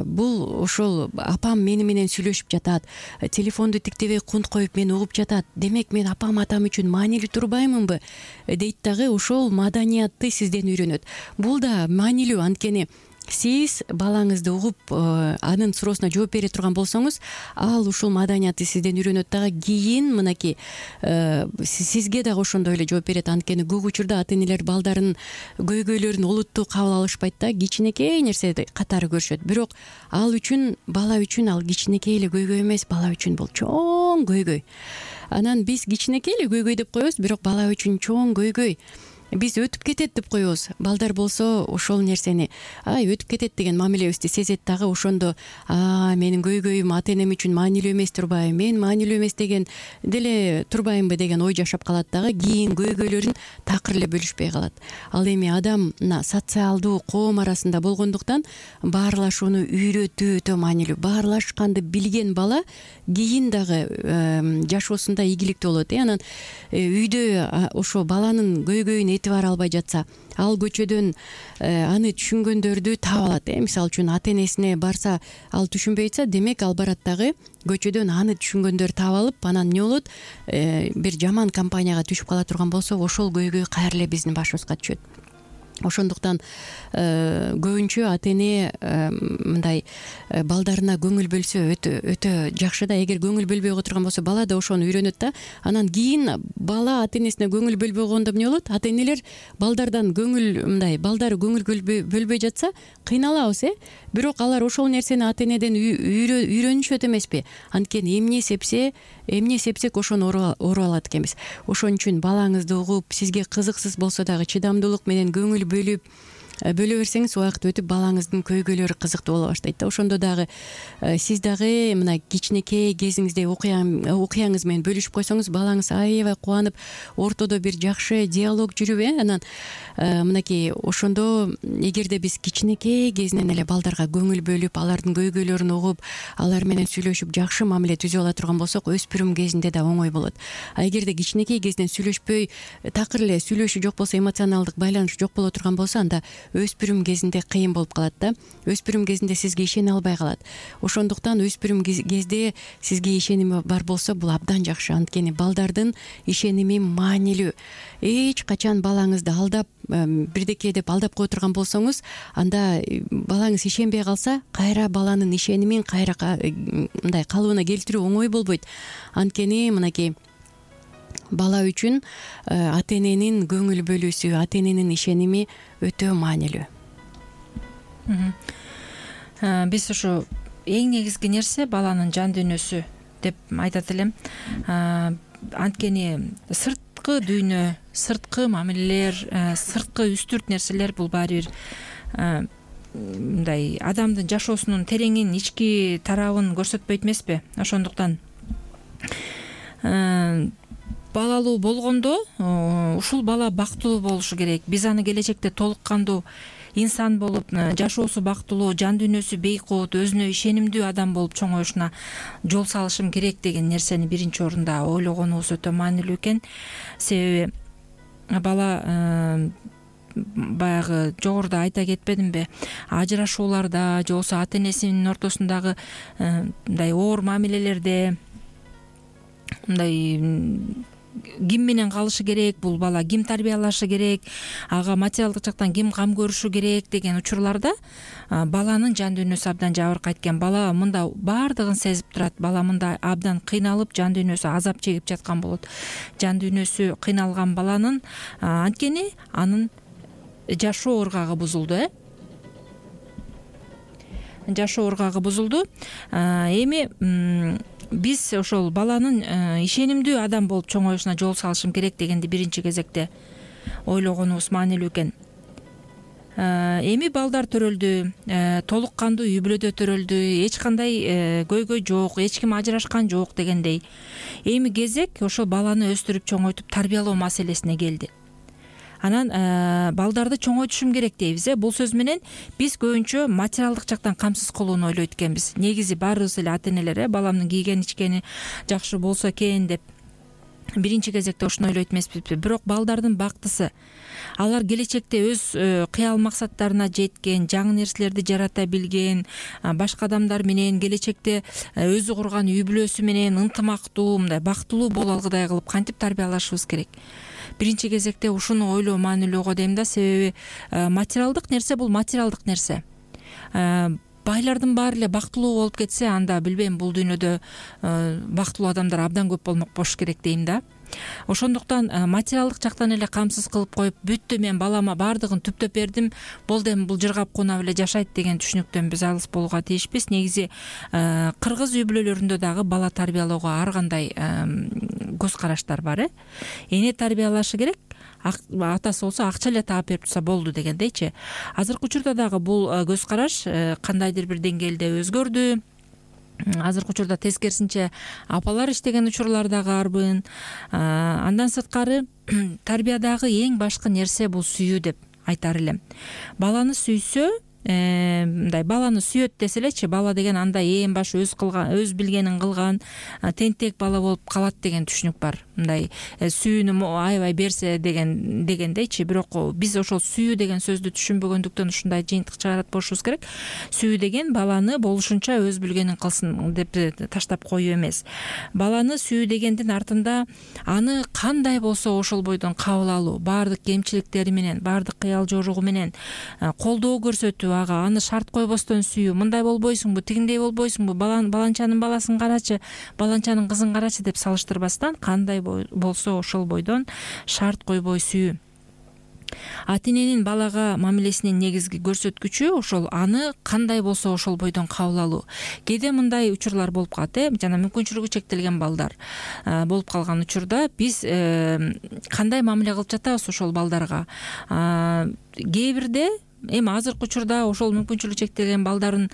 Бул ошол апам мени менен сүйлөшүп жатат, телефонду тиктебей кунт коюп мени угуп жатат, демек мен апам атам үчүн маанилүү турбаймынбы дейт дагы, ошол маданиятты сизден үйрөнөт. Бул да маанилүү, анткени сиз балаңызды угуп, анын суроосуна жооп бере турган болсоңуз, ал ушул маданиятты сизден үйрөнөт дагы. Кийин мынакей сизге дагы ошондой эле жооп берет. Анткени көп учурда ата-энелер балдарынын көйгөйлөрүн олуттуу кабыл алышпайт да, кичинекей нерсе катары көрүшөт. Бирок бала үчүн ал кичинекей эле көйгөй эмес, бала үчүн бул чоң көйгөй. Анан биз кичинекей эле көйгөй деп коебуз, бирок бала үчүн чоң көйгөй. Биз өтүп кетет деп коебуз. Балдар болсо ошол нерсени өтүп кетет деген мамилебизди сезет дагы. Ошондо менин көйгөйүм ата-энем үчүн маанилүү эмес турбайбы, мен маанилүү эмес деген деле турбаймынбы деген ой жашап калат дагы. Кийин көйгөйлөрүн такыр эле бөлүшпөй калат. Ал эми адам мына социалдуу коом арасында болгондуктан баарлашууну үйрөтүү өтө маанилүү. Баарлашканды билген бала кийин дагы жашоосунда ийгиликтүү болот. Анан үйдө ошо баланын көйгөйүн этибар албай жатса, ал көчөдөн аны түшүнгөндөрдү таап алат. Мисалы үчүн ата-энесине барса, ал түшүнбөй жатса, демек ал барат дагы көчөдөн аны түшүнгөндөр таап алып, анан эмне болот, бир жаман компанияга түшүп кала турган болсо, ошол көйгөй кайра эле биздин башыбызга түшөт. Ошондуктан көбүнчө ата-эне мындай балдарына көңүл бөлсө өтө жакшы да. Эгер көңүл бөлбөй отурган болсо, бала да ошону үйрөнөт да. Анан кийин бала ата-энесине көңүл бөлбөй койгондо эмне болот? Ата-энелер балдары көңүл бөлбөй жатса, кыйналабыз. Бирок алар ошол нерсени ата-энеден үйрөнүшөт эмеспи? Анткени эмне сепсек ошону оруп алат экенбиз. Ошон үчүн балаңызды угуп, сизге кызыксыз болсо дагы чыдамдуулук менен көңүл бөлө берсеңиз, убакыт өтүп балаңыздын көйгөйлөрү кызыктуу боло баштайт да. Ошондо дагы сиз дагы мына кичинекей кезиңизде окуяңыз менен бөлүшүп койсоңуз, балаңыз аябай кубанып, ортодо бир жакшы диалог жүрүп, анан мынакей ошондо эгерде биз кичинекей кезинен эле балдарга көңүл бөлүп, алардын көйгөйлөрүн угуп, алар менен сүйлөшүп, жакшы мамиле түзүп ала турган болсок, өспүрүм кезинде да оңой болот. Эгерде кичинекей кезинен сүйлөшпөй, такыр эле сүйлөшүү жок болсо, эмоционалдык байланыш жок боло турган болсо, анда өспүрүм кезинде кыйын болуп калат да. Өспүрүм кезинде сизге ишене албай калат. Ошондуктан өспүрүм кезде сизге ишеними бар болсо бул абдан жакшы. Анткени балдардын ишеними маанилүү. Эч качан балаңызды алдап бирдеке деп алдап кое турган болсоңуз, анда балаңыз ишенбей калса, кайра баланын ишенимин кайра мындай калыбына келтирүү оңой болбойт. Анткени мынакей бала үчүн ата эненин көңүл бөлүүсү, ата эненин ишеними өтө маанилүү. Биз ушу эң негизги нерсе баланын жан дүйнөсү деп айтат элем. Анткени сырткы дүйнө, сырткы мамилелер, сырткы үстүрт нерселер бул баары бир мындай адамдын жашоосунун тереңин, ички тарабын көрсөтпөйт эмеспи? Ошондуктан балалуу болгондо ушул бала бактылуу болушу керек. Биз аны келечекте толук кандуу инсан болуп, жашоосу бактылуу, жан дүйнөсү бейкут, өзүнө ишенимдүү адам болуп чоңоюшуна жол салышым керек деген нерсени биринчи орунда ойлогонубуз өтө маанилүү экен. Себеби бала баягы жогоруда айта кетпедимби, ажырашууларда же болбосо ата энесинин ортосундагы мындай оор мамилелерде мындай ким менен калышы керек, бул бала ким тарбиялашы керек, ага материалдык жактан ким кам көрүшү керек деген учурларда баланын жан дүйнөсү абдан жабыркайт экен. Бала мында баардыгын сезип турат. Бала мында абдан кыйналып, жан дүйнөсү азап чегип жаткан болот. Жан дүйнөсү кыйналган баланын анткени анын жашоо ыргагы бузулду, жашоо ыргагы бузулду. Эми биз ошол баланын ишенимдүү адам болуп чоңоюшуна жол салышым керек дегенди биринчи кезекте ойлогонубуз маанилүү экен. Эми балдар төрөлдү, толук кандуу үй бүлөдө төрөлдү, эч кандай көйгөй жок, эч ким ажырашкан жок дегендей. Эми кезек ошол баланы өстүрүп чоңойтуп тарбиялоо маселесине келди. Анан балдарды чоңойтушум керек дейбиз. Бул сөз менен биз көбүнчө материалдык жактан камсыз кылууну ойлойт экенбиз. Негизи баарыбыз эле ата энелер баламдын кийген ичкени жакшы болсо экен деп биринчи кезекте ошону ойлойт эмеспизби? Бирок балдардын бактысы, алар келечекте өз кыял максаттарына жеткен, жаңы нерселерди жарата билген, башка адамдар менен келечекте өзү курган үй бүлөсү менен ынтымактуу, мындай бактылуу боло алгыдай кылып кантип тарбиялашыбыз керек? Биринчи кезекте ушуну ойлоо маанилүү го дейм да. Себеби материалдык нерсе бул материалдык нерсе. Байлардын баары эле бактылуу болуп кетсе, анда билбейм, бул дүйнөдө бактылуу адамдар абдан көп болмок болуш керек дейм да. Ошондуктан материалдык жактан эле камсыз кылып коюп, бүттү мен балама баардыгын түптөп бердим, болду эми бул жыргап кунап эле жашайт деген түшүнүктөн биз алыс болууга тийишпиз. Негизи кыргыз үй бүлөлөрүндө дагы бала тарбиялоого ар кандай көз караштар бар. Эне тарбиялашы керек, атасы болсо акча эле таап берип турса болду дегендейчи. Азыркы учурда дагы бул көз караш кандайдыр бир деңгээлде өзгөрдү. Азыркы учурда тескерисинче апалар иштеген учурлар дагы арбын. Андан сырткары тарбиядагы эң башкы нерсе бул сүйүү деп айтар элем. Баланы сүйсө, мындай баланы сүйөт десе элечи, бала деген андай эң баш өз билгенин кылган тентек бала болуп калат деген түшүнүк бар. Мындай сүйүүнү аябай берсе дегендейчи. Бирок биз ошол сүйүү деген сөздү түшүнбөгөндүктөн ушундай жыйынтык чыгарат болушубуз керек. Сүйүү деген баланы болушунча өз билгенин кылсын деп таштап коюу эмес. Баланы сүйүү дегендин артында аны кандай болсо ошол бойдон кабыл алуу, баардык кемчиликтери менен, баардык кыял жоругу менен колдоо көрсөтүү, ага аны шарт койбостон сүйүү. Мындай болбойсуңбу, тигиндей болбойсуңбу, баланчанын баласын карачы, баланчанын кызын карачы деп салыштырбастан, кандай болсо ошол бойдон шарт койбой сүйүү. Ата эненин балага мамилесинин негизги көрсөткүчү ошол аны кандай болсо ошол бойдон кабыл алуу. Кээде мындай учурлар болуп калат, жана мүмкүнчүлүгү чектелген балдар болуп калган учурда биз кандай мамиле кылып жатабыз ошол балдарга? Кээ бирде эми азыркы учурда ошол мүмкүнчүлүгү чектелген балдарын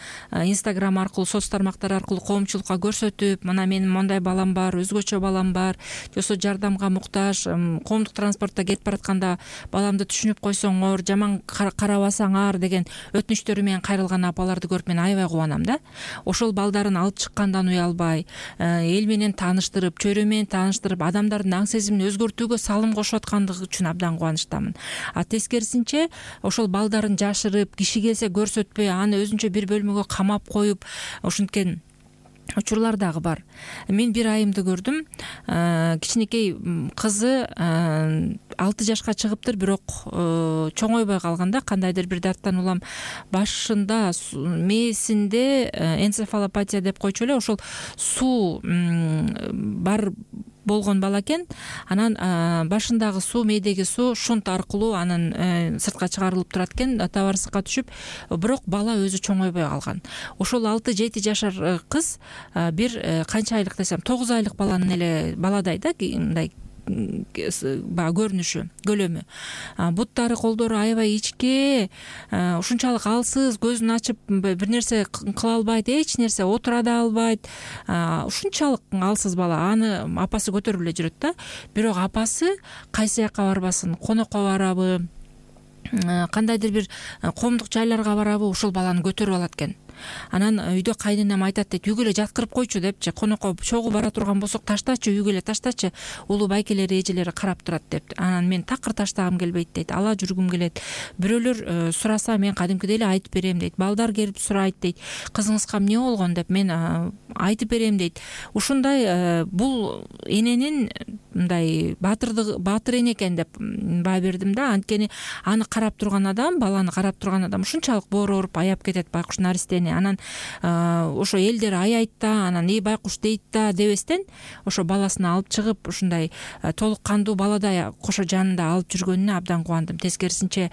Instagram аркылуу, соц тармактар аркылуу коомчулукка көрсөтүп, мына менин мондай балам бар, өзгөчө балам бар, же болбосо жардамга муктаж, коомдук транспортто кетип баратканда баламды түшүнүп койсоңор, жаман карабасаңар деген өтүнүчтөрү менен кайрылган апаларды көрүп мен аябай кубанам да. Ошол балдарын алып чыккандан уялбай, эл менен тааныштырып, чөйрө менен тааныштырып, адамдардын аң сезимин өзгөртүүгө салым кошуп аткандыгы үчүн абдан кубанычтамын. Тескерисинче ошол балдарын жашырып, киши келсе көрсөтпөй, аны өзүнчө бир бөлмөгө камап коюп ушинткен учурлар дагы бар. Мен бир айымды көрдүм. Кичинекей кызы 6 жашка чыгыптыр, бирок чоңойбой калганда, кандайдыр бир дарттан улам башында мээсинде энцефалопатия деп койчу эле, ошол суу бар болгон бала экен. Анан башындагы суу, мээдеги суу шунт аркылуу анын сыртка чыгарылып турат экен, табарсыкка түшүп, бирок бала өзү чоңойбой калган. Ошол 6-7 жашар кыз бир канча айлык десем, 9 айлык баланын эле баладай да, мындай баягы көрүнүшү, көлөмү. Буттары, колдору аябай ичке, ушунчалык алсыз, көзүн ачып бир нерсе кыла албайт, эч нерсе отура да албайт. Ушунчалык алсыз бала. Аны апасы көтөрүп эле жүрөт да. Бирок апасы кайсы жака барбасын, конокко барабы, кандайдыр бир коомдук жайларга барабы, ошол баланы көтөрүп алат экен. Анан үйдө кайненем айтат дейт, үйгө эле жаткырып койчу депчи, конокко чогуу бара турган болсок таштачы, үйгө эле таштачы, улуу байкелери, эжелери карап турат деп. Анан мен такыр таштагым келбейт дейт, ала жүргүм келет. Бирөөлөр сураса мен кадимкидей эле айтып берем дейт. Балдар келип сурайт дейт, кызыңызга эмне болгон деп, мен айтып берем дейт. Ушундай бул эненин мындай баатыр эне экен деп баа бердим да. Анткени аны карап турган адам, баланы карап турган адам ушунчалык боору ооруп аяп кетет байкуш наристени. Анан ошо элдер аяйт да, анан байкуш дейт да дебестен, ошо баласын алып чыгып ушундай толук кандуу баладай кошо жанында алып жүргөнүнө абдан кубандым. Тескерисинче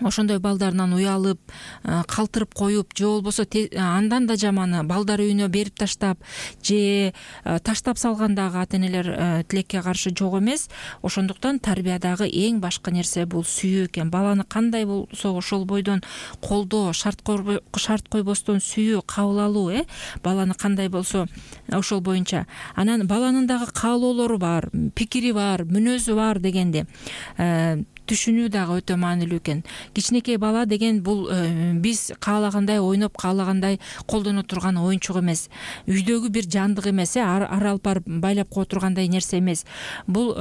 ошондой балдарынан уялып, калтырып коюп, же болбосо андан да жаманы балдар үйүнө берип таштап, же таштап салган дагы ата энелер тилекке каршы жок эмес. Ошондуктан тарбиядагы эң башкы нерсе бул сүйүү экен. Баланы кандай болсо ошол бойдон колдоо, шарт койбостон сүйүү, кабыл алуу, баланы кандай болсо ошол боюнча. Анан баланын дагы каалоолору бар, пикири бар, мүнөзү бар дегенди түшүнүү дагы өтө маанилүү экен. Кичинекей бала деген бул биз каалагандай ойноп, каалагандай колдоно турган оюнчук эмес. Үйдөгү бир жандык эмес, ар алып барып байлап кое тургандай нерсе эмес. Бул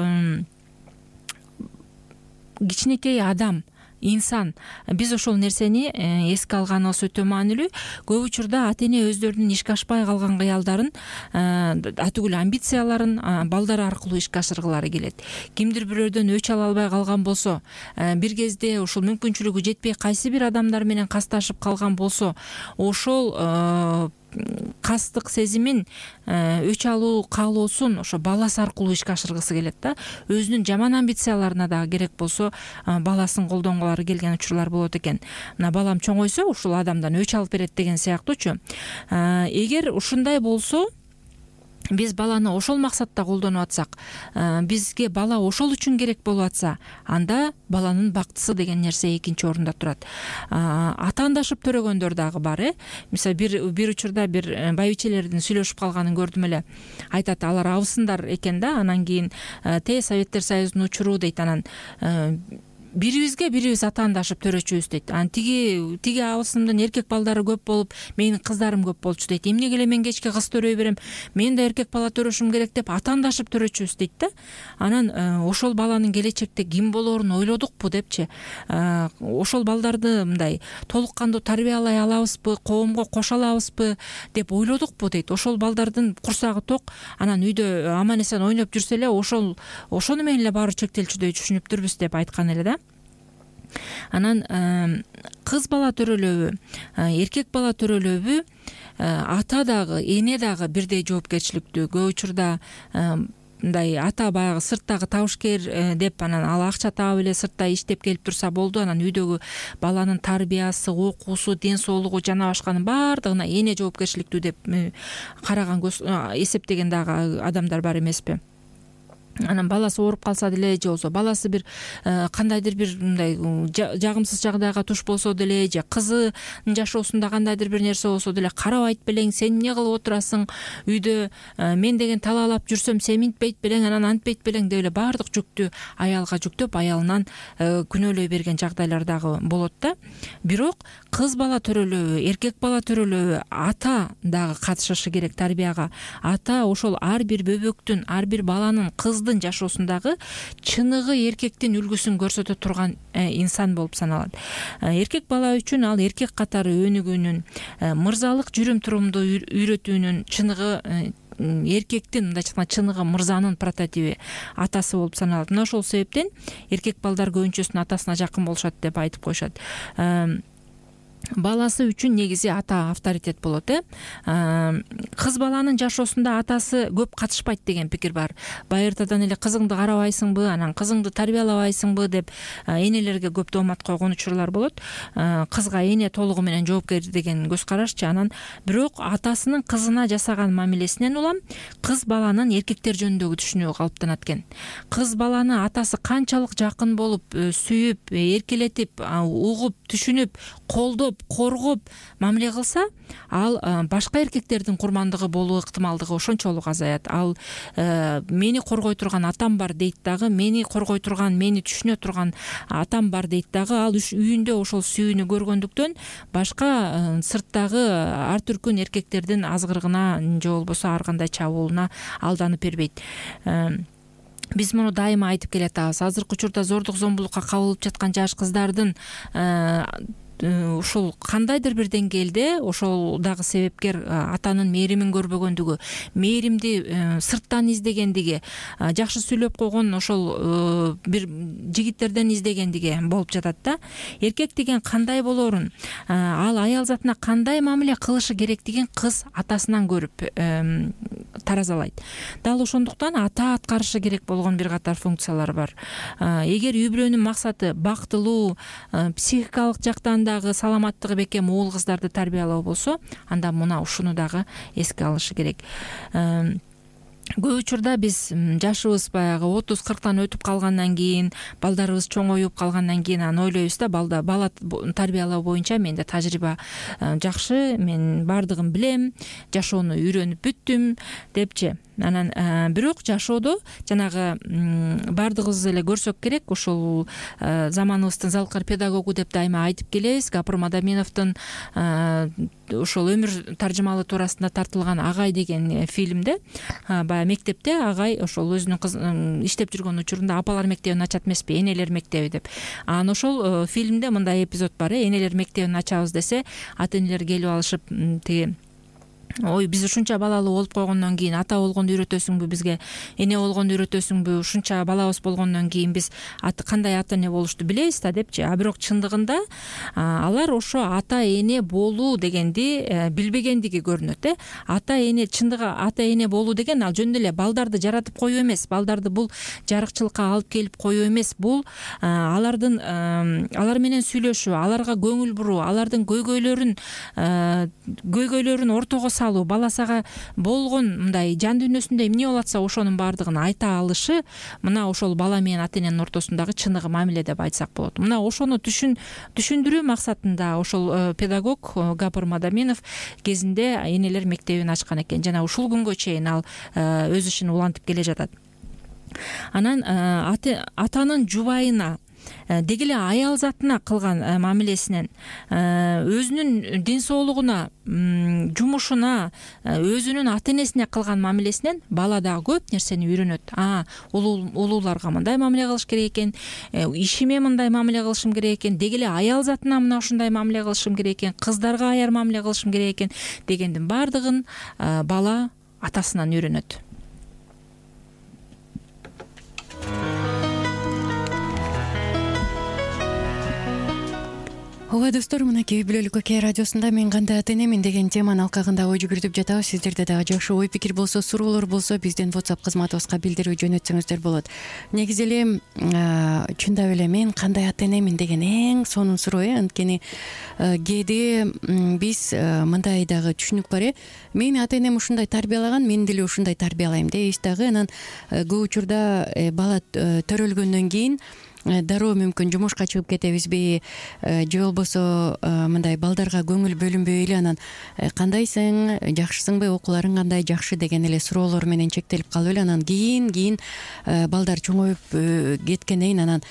кичинекей адам, инсан. Биз ошол нерсени эске алганыбыз өтө маанилүү. Көп учурда ата эне өздөрүнүн ишке ашпай калган кыялдарын, атүгүл амбицияларын балдар аркылуу ишке ашыргылары келет. Кимдир бирөөдөн өч ала албай калган болсо, бир кезде ушул мүмкүнчүлүгү жетпей кайсы бир адамдар менен касташып калган болсо, ошол кастык сезимин, өч алуу каалоосун ошо баласы аркылуу ишке ашыргысы келет да. Өзүнүн жаман амбицияларына дагы керек болсо баласын колдонгулары келген учурлар болот экен. Мына балам чоңойсо ушул адамдан өч алып берет деген сыяктуучу. Эгер ушундай болсо, биз баланы ошол максатта колдонуп атсак, бизге бала ошол үчүн керек болуп атса, анда баланын бактысы деген нерсе экинчи орунда турат. Атаандашып төрөгөндөр дагы бар, Мисалы бир учурда бир байбичелердин сүйлөшүп калганын көрдүм эле. Айтат, алар абысындар экен да, анан кийин Советтер Союзунун учуру дейт, анан бирибизге бирибиз атаандашып төрөчүбүз дейт. Анан тиги абысымдын эркек балдары көп болуп, менин кыздарым көп болчу дейт. Эмнеге эле мен кечке кыз төрөй берем, мен да эркек бала төрөшүм керек деп атаандашып төрөчүбүз дейт да. Анан ошол баланын келечекте ким болоорун ойлодукпу депчи. Ошол балдарды мындай толук кандуу тарбиялай алабызбы, коомго кошо алабызбы деп ойлодукпу дейт. Ошол балдардын курсагы ток, анан үйдө аман эсен ойноп жүрсө эле ошону менен эле баары чектелчүдөй түшүнүптүрбүз деп айткан эле да. Анан кыз бала төрөлөбү, эркек бала төрөлөбү, ата дагы, эне дагы бирдей жоопкерчиликтүү. Көп учурда мындай ата баягы сырттагы табышкер деп, анан ал акча таап эле сыртта иштеп келип турса болду, анан үйдөгү баланын тарбиясы, окуусу, ден соолугу жана башканын баардыгына эне жоопкерчиликтүү деп караган, эсептеген дагы адамдар бар эмеспи? Анан баласы ооруп калса деле, же болбосо баласы бир кандайдыр бир мындай жагымсыз жагдайга туш болсо деле, же кызынын жашоосунда кандайдыр бир нерсе болсо деле, карабайт белең, сен эмне кылып отурасың үйдө, мен деген талаалап жүрсөм сен минтпейт белең, анан антпейт белең деп эле баардык жүктү аялга жүктөп, аялынан күнөөлөй берген жагдайлар дагы болот да. Бирок кыз бала төрөлөбү, эркек бала төрөлөбү, ата дагы катышышы керек тарбияга. Ата ошол ар бир бөбөктүн, ар бир баланын, кыздын кыздын жашоосундагы чыныгы эркектин үлгүсүн көрсөтө турган инсан болуп саналат. Эркек бала үчүн ал эркек катары өнүгүүнүн, мырзалык жүрүм-турумду үйрөтүүнүн чыныгы эркектин, мындайча айтканда чыныгы мырзанын прототиби атасы болуп саналат. Мына ошол себептен эркек балдар көбүнчөсүнүн атасына жакын болушат деп айтып коюшат. Баласы үчүн негизи ата авторитет болот. Кыз баланын жашоосунда атасы көп катышпайт деген пикир бар. Байыртадан эле кызыңды карабайсыңбы, анан кызыңды тарбиялабайсыңбы деп энелерге көп доомат койгон учурлар болот. Кызга эне толугу менен жоопкер деген көз карашчы. Анан бирок атасынын кызына жасаган мамилесинен улам кыз баланын эркектер жөнүндөгү түшүнүгү калыптанат экен. Кыз баланы атасы канчалык жакын болуп, сүйүп, эркелетип, угуп, түшүнүп, колдоп, коргоп мамиле кылса, ал башка эркектердин курмандыгы болуу ыктымалдыгы ошончолук азаят. Ал мени коргой турган атам бар дейт дагы, мени коргой турган, мени түшүнө турган атам бар дейт дагы. Ал үйүндө ошол сүйүүнү көргөндүктөн башка сырттагы ар түркүн эркектердин азгырыгына же болбосо ар кандай чабуулуна алданып бербейт. Биз муну дайыма айтып келатабыз. Азыркы учурда зордук зомбулукка кабылып жаткан жаш кыздардын ушул кандайдыр бир деңгээлде ошол дагы себепкер атанын мээримин көрбөгөндүгү, мээримди сырттан издегендиги, жакшы сүйлөп койгон ошол бир жигиттерден издегендиги болуп жатат да. Эркек деген кандай болоорун, ал аял затына кандай мамиле кылышы керектигин кыз атасынан көрүп таразалайт. Дал ошондуктан ата аткарышы керек болгон бир катар функциялар бар. Эгер үй бүлөнүн максаты бактылуу, психикалык жактан саламаттыгы бекем уул кыздарды тарбиялоо болсо, анда мына ушуну дагы эске алышы керек. Көп учурда биз жашыбыз баягы 30-40тан өтүп калгандан кийин, балдарыбыз чоңоюп калгандан кийин анан ойлойбуз да, бала тарбиялоо боюнча менде тажрыйба жакшы, мен бардыгын билем, жашоону үйрөнүп бүттүм депчи. Анан бирок жашоодо жанагы бардыгыбыз эле көрсөк керек, ошол заманыбыздын залкар педагогу деп дайыма айтып келебиз, Гапыр Мадаминовдун ошол өмүр таржымалы туурасында тартылган Агай деген фильмде баягы мектепте агай ошол өзүнүн иштеп жүргөн учурунда апалар мектебин ачат эмеспи, энелер мектеби деп. Анан ошол фильмде мындай эпизод бар: энелер мектебин ачабыз десе, ата энелер келип алышып, тиги ой, биз ушунча балалуу болуп койгондон кийин ата болгонду үйрөтөсүңбү, бизге эне болгонду үйрөтөсүңбү, ушунча балабыз болгондон кийин биз кандай ата эне болушту билебиз да депчи. Бирок чындыгында алар ошо ата эне болуу дегенди билбегендиги көрүнөт. Ата эне, чындыгы ата эне болуу деген ал жөн эле балдарды жаратып коюу эмес, балдарды бул жарыкчылыкка алып келип коюу эмес. Бул алар менен сүйлөшүү, аларга көңүл буруу, алардын көйгөйлөрүн ортого салуу, баласага болгон мындай жан дүйнөсүндө эмне болуп атса ошонун баардыгын айта алышы, мына ошол бала менен ата эненин ортосундагы чыныгы мамиле деп айтсак болот. Мына ошону түшүндүрүү максатында ошол педагог Гапыр Мадаминов кезинде энелер мектебин ачкан экен. Жана ушул күнгө чейин ал өз ишин улантып келе жатат. Анан атанын жубайына, деги эле аял затына кылган мамилесинен, өзүнүн ден соолугуна, жумушуна, өзүнүн ата энесине кылган мамилесинен бала дагы көп нерсени үйрөнөт. Улууларга мындай мамиле кылыш керек экен, ишиме мындай мамиле кылышым керек экен, деги эле аял затына мына ушундай мамиле кылышым керек экен, кыздарга аяр мамиле кылышым керек экен дегендин баардыгын бала атасынан үйрөнөт. Ооба достор, мынакей үй бүлөлүк окей радиосунда мен кандай ата энемин деген теманын алкагында ой жүгүртүп жатабыз. Сиздерде дагы жакшы ой пикир болсо, суроолор болсо, биздин WhatsApp кызматыбызга билдирүү жөнөтсөңүздөр болот. Негизи эле чындап эле мен кандай ата энемин деген эң сонун суроо. Анткени кээде биз мындай дагы түшүнүк бар. Мени ата энем ушундай тарбиялаган, мен деле ушундай тарбиялайм дейбиз дагы. Анан көп учурда бала төрөлгөндөн кийин дароо мүмкүн жумушка чыгып кетебизби, же болбосо мындай балдарга көңүл бөлүнбөй эле анан кандайсың, жакшысыңбы, окууларың кандай, жакшы деген эле суроолор менен чектелип калып эле анан кийин балдар чоңоюп кеткенден кийин анан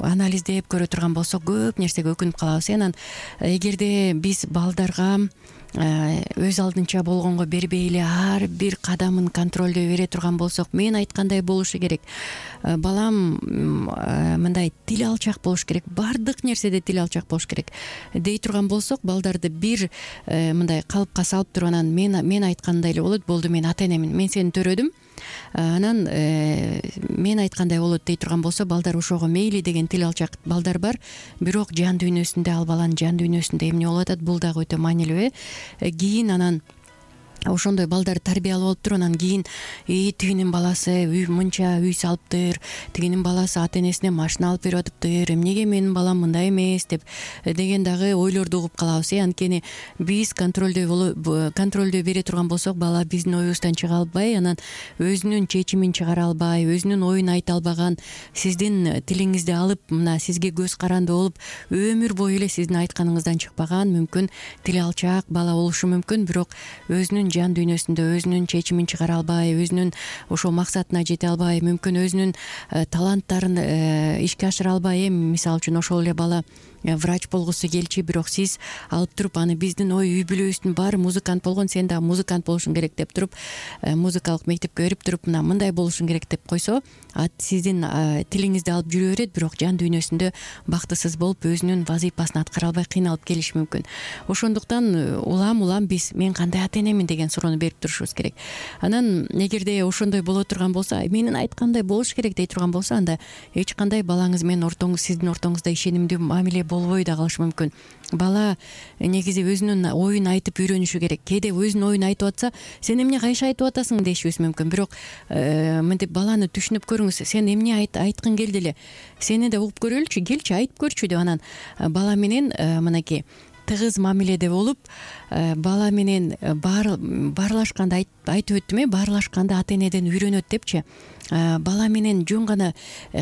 анализдеп көрө турган болсок көп нерсеге өкүнүп калабыз. Анан эгерде биз балдарга өз алдынча болгонго бербей эле ар бир кадамын контролдой бере турган болсок, мен айткандай болушу керек, балам мындай тил алчак болуш керек, баардык нерседе тил алчак болуш керек дей турган болсок, балдарды бир мындай калыпка салып туруп, анан мен айткандай эле болот, болду мен ата энемин, мен сени төрөдүм, анан мен айткандай болот дей турган болсо, балдар ошого мейли деген тил алчак балдар бар. Бирок жан дүйнөсүндө, ал баланын жан дүйнөсүндө эмне болуп атат, бул дагы өтө маанилүү. Кийин анан ошондой балдар тарбиялап алып туруп, анан кийин тигинин баласы мынча үй салыптыр, тигинин баласы ата энесине машина алып берип атыптыр, эмнеге менин балам мындай эмес деп деген дагы ойлорду угуп калабыз. Анткени биз контролдой бере турган болсок, бала биздин оюбуздан чыга албай, анан өзүнүн чечимин чыгара албай, өзүнүн оюн айта албаган, сиздин тилиңизди алып мына сизге көз каранды болуп, өмүр бою эле сиздин айтканыңыздан чыкпаган, мүмкүн тили алчак бала болушу мүмкүн, бирок өзүнүн жан дүйнөсүндө өзүнүн чечимин чыгара албай, өзүнүн ошол максатына жете албай, мүмкүн өзүнүн таланттарын ишке ашыра албай. Мисалы үчүн ошол эле бала врач болгусу келчү, бирок сиз алып туруп аны биздин үй бүлөбүздүн баары музыкант болгон, сен дагы музыкант болушуң керек деп туруп, музыкалык мектепке берип туруп, мына мындай болушуң керек деп койсо, сиздин тилиңизди алып жүрө берет, бирок жан дүйнөсүндө бактысыз болуп, өзүнүн вазыйпасын аткара албай кыйналып келиши мүмкүн. Ошондуктан улам биз мен кандай ата энемин деген суроону берип турушубуз керек. Анан эгерде ошондой боло турган болсо, менин айткандай болуш керек дей турган болсо, анда эч кандай балаңыз менен сиздин ортоңузда ишенимдүү мамиле болбой да калышы мүмкүн. Бала негизи өзүнүн оюн айтып үйрөнүшү керек. Кээде өзүнүн оюн айтып атса, сен эмне кайша айтып атасың дешибиз мүмкүн, бирок мынтип баланы түшүнүп көрүңүз, сен эмне айткың келди эле, сени да угуп көрөлүчү, келчи айтып көрчү деп, анан бала менен мынакей тыгыз мамиледе болуп, бала менен баарлашканды айтып өттүм, баарлашканды ата энеден үйрөнөт депчи. Бала менен жөн гана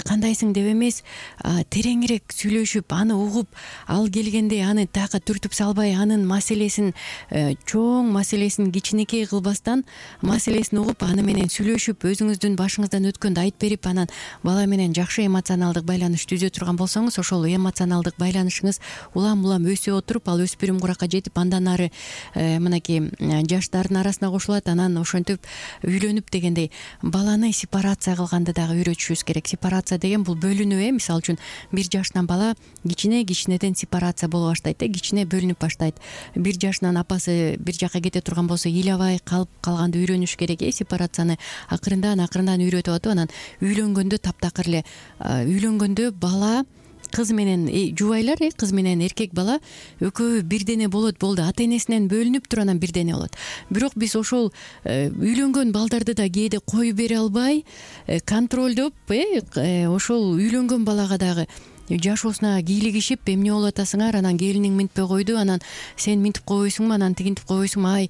кандайсың деп эмес, тереңирээк сүйлөшүп, аны угуп, ал келгенде аны тага түртүп салбай, анын маселесин, чоң маселесин кичинекей кылбастан, маселесин угуп, аны менен сүйлөшүп, өзүңүздүн башыңыздан өткөндү айтып берип, анан бала менен жакшы эмоционалдык байланыш түзө турган болсоңуз, ошол эмоционалдык байланышыңыз улам өсө отуруп, ал өспүрүм куракка жетип, андан ары мынакей жаштардын арасына кошулат. Анан ошентип үйлөнүп дегендей баланы сепарация кылганды дагы үйрөтүшүбүз керек. Сепарация деген бул бөлүнүү. Мисалы үчүн 1 жаштан бала кичинеден сепарация боло баштайт, кичине бөлүнүп баштайт. 1 жашынан апасы бир жака кете турган болсо, ыйлабай калганды үйрөнүш керек. Сепарацияны акырындан үйрөтүп атып, анан үйлөнгөндө таптакыр эле үйлөнгөндө бала кыз менен жубайлар, кыз менен эркек бала экөө бирдене болот, болду. Ата энесинен бөлүнүп туруп анан бирдене болот. Бирок биз ошол үйлөнгөн балдарды да кээде коюп бере албай, контролдоп, ошол үйлөнгөн балага дагы жашоосуна кийлигишип, эмне болуп атасыңар, анан келиниң минтпей койду, анан сен минтип койбойсуңбу, анан тигинтип койбойсуңбу,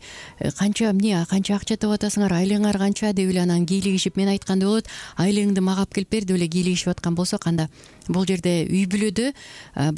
канча акча табып атасыңар, айлыгыңар канча деп эле анан кийлигишип, мен айткандай болот, айлыгыңды мага алып келип бер деп эле кийлигишип аткан болсок, анда бул жерде үй бүлөдө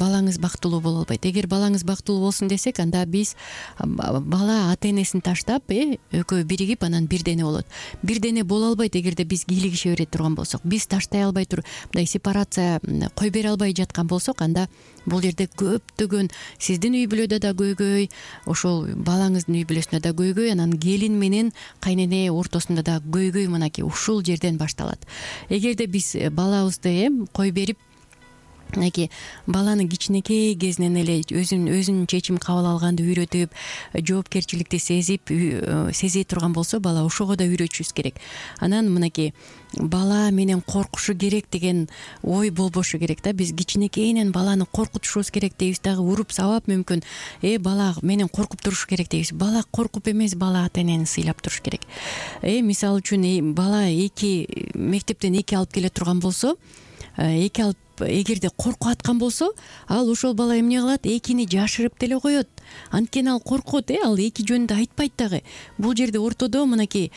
балаңыз бактылуу боло албайт. Эгер балаңыз бактылуу болсун десек, анда биз бала ата энесин таштап, экөө биригип, анан бирдене болот. Бирдене боло албайт эгерде биз кийлигише бере турган болсок, биз таштай албай туруп, мындай сепарация кой бере албай жаткан болсок, анда бул жерде көптөгөн сиздин үй бүлөдө да көйгөй, ошол балаңыздын үй бүлөсүндө да көйгөй, анан келин менен кайнене ортосунда да көйгөй мынакей ушул жерден башталат. Эгерде биз балабызды кой берип, мынакей баланы кичинекей кезинен эле өзүнүн чечим кабыл алганды үйрөтүп, жоопкерчиликти сезе турган болсо, бала ошого да үйрөтүшүбүз керек. Анан мынакей бала менен коркушу керек деген ой болбошу керек да. Биз кичинекейинен баланы коркутушубуз керек дейбиз дагы, уруп сабап мүмкүн бала менен коркуп туруш керек дейбиз. Бала коркуп эмес, бала ата энени сыйлап туруш керек. Мисалы үчүн бала мектептен 2 алып келе турган болсо, 2 алып эгерде коркуп аткан болсо, ал ошол бала эмне кылат? 2-ни жашырып деле коет. Анткени ал коркот, ал 2 жөнүндө айтпайт дагы. Бул жерде ортодо мынакей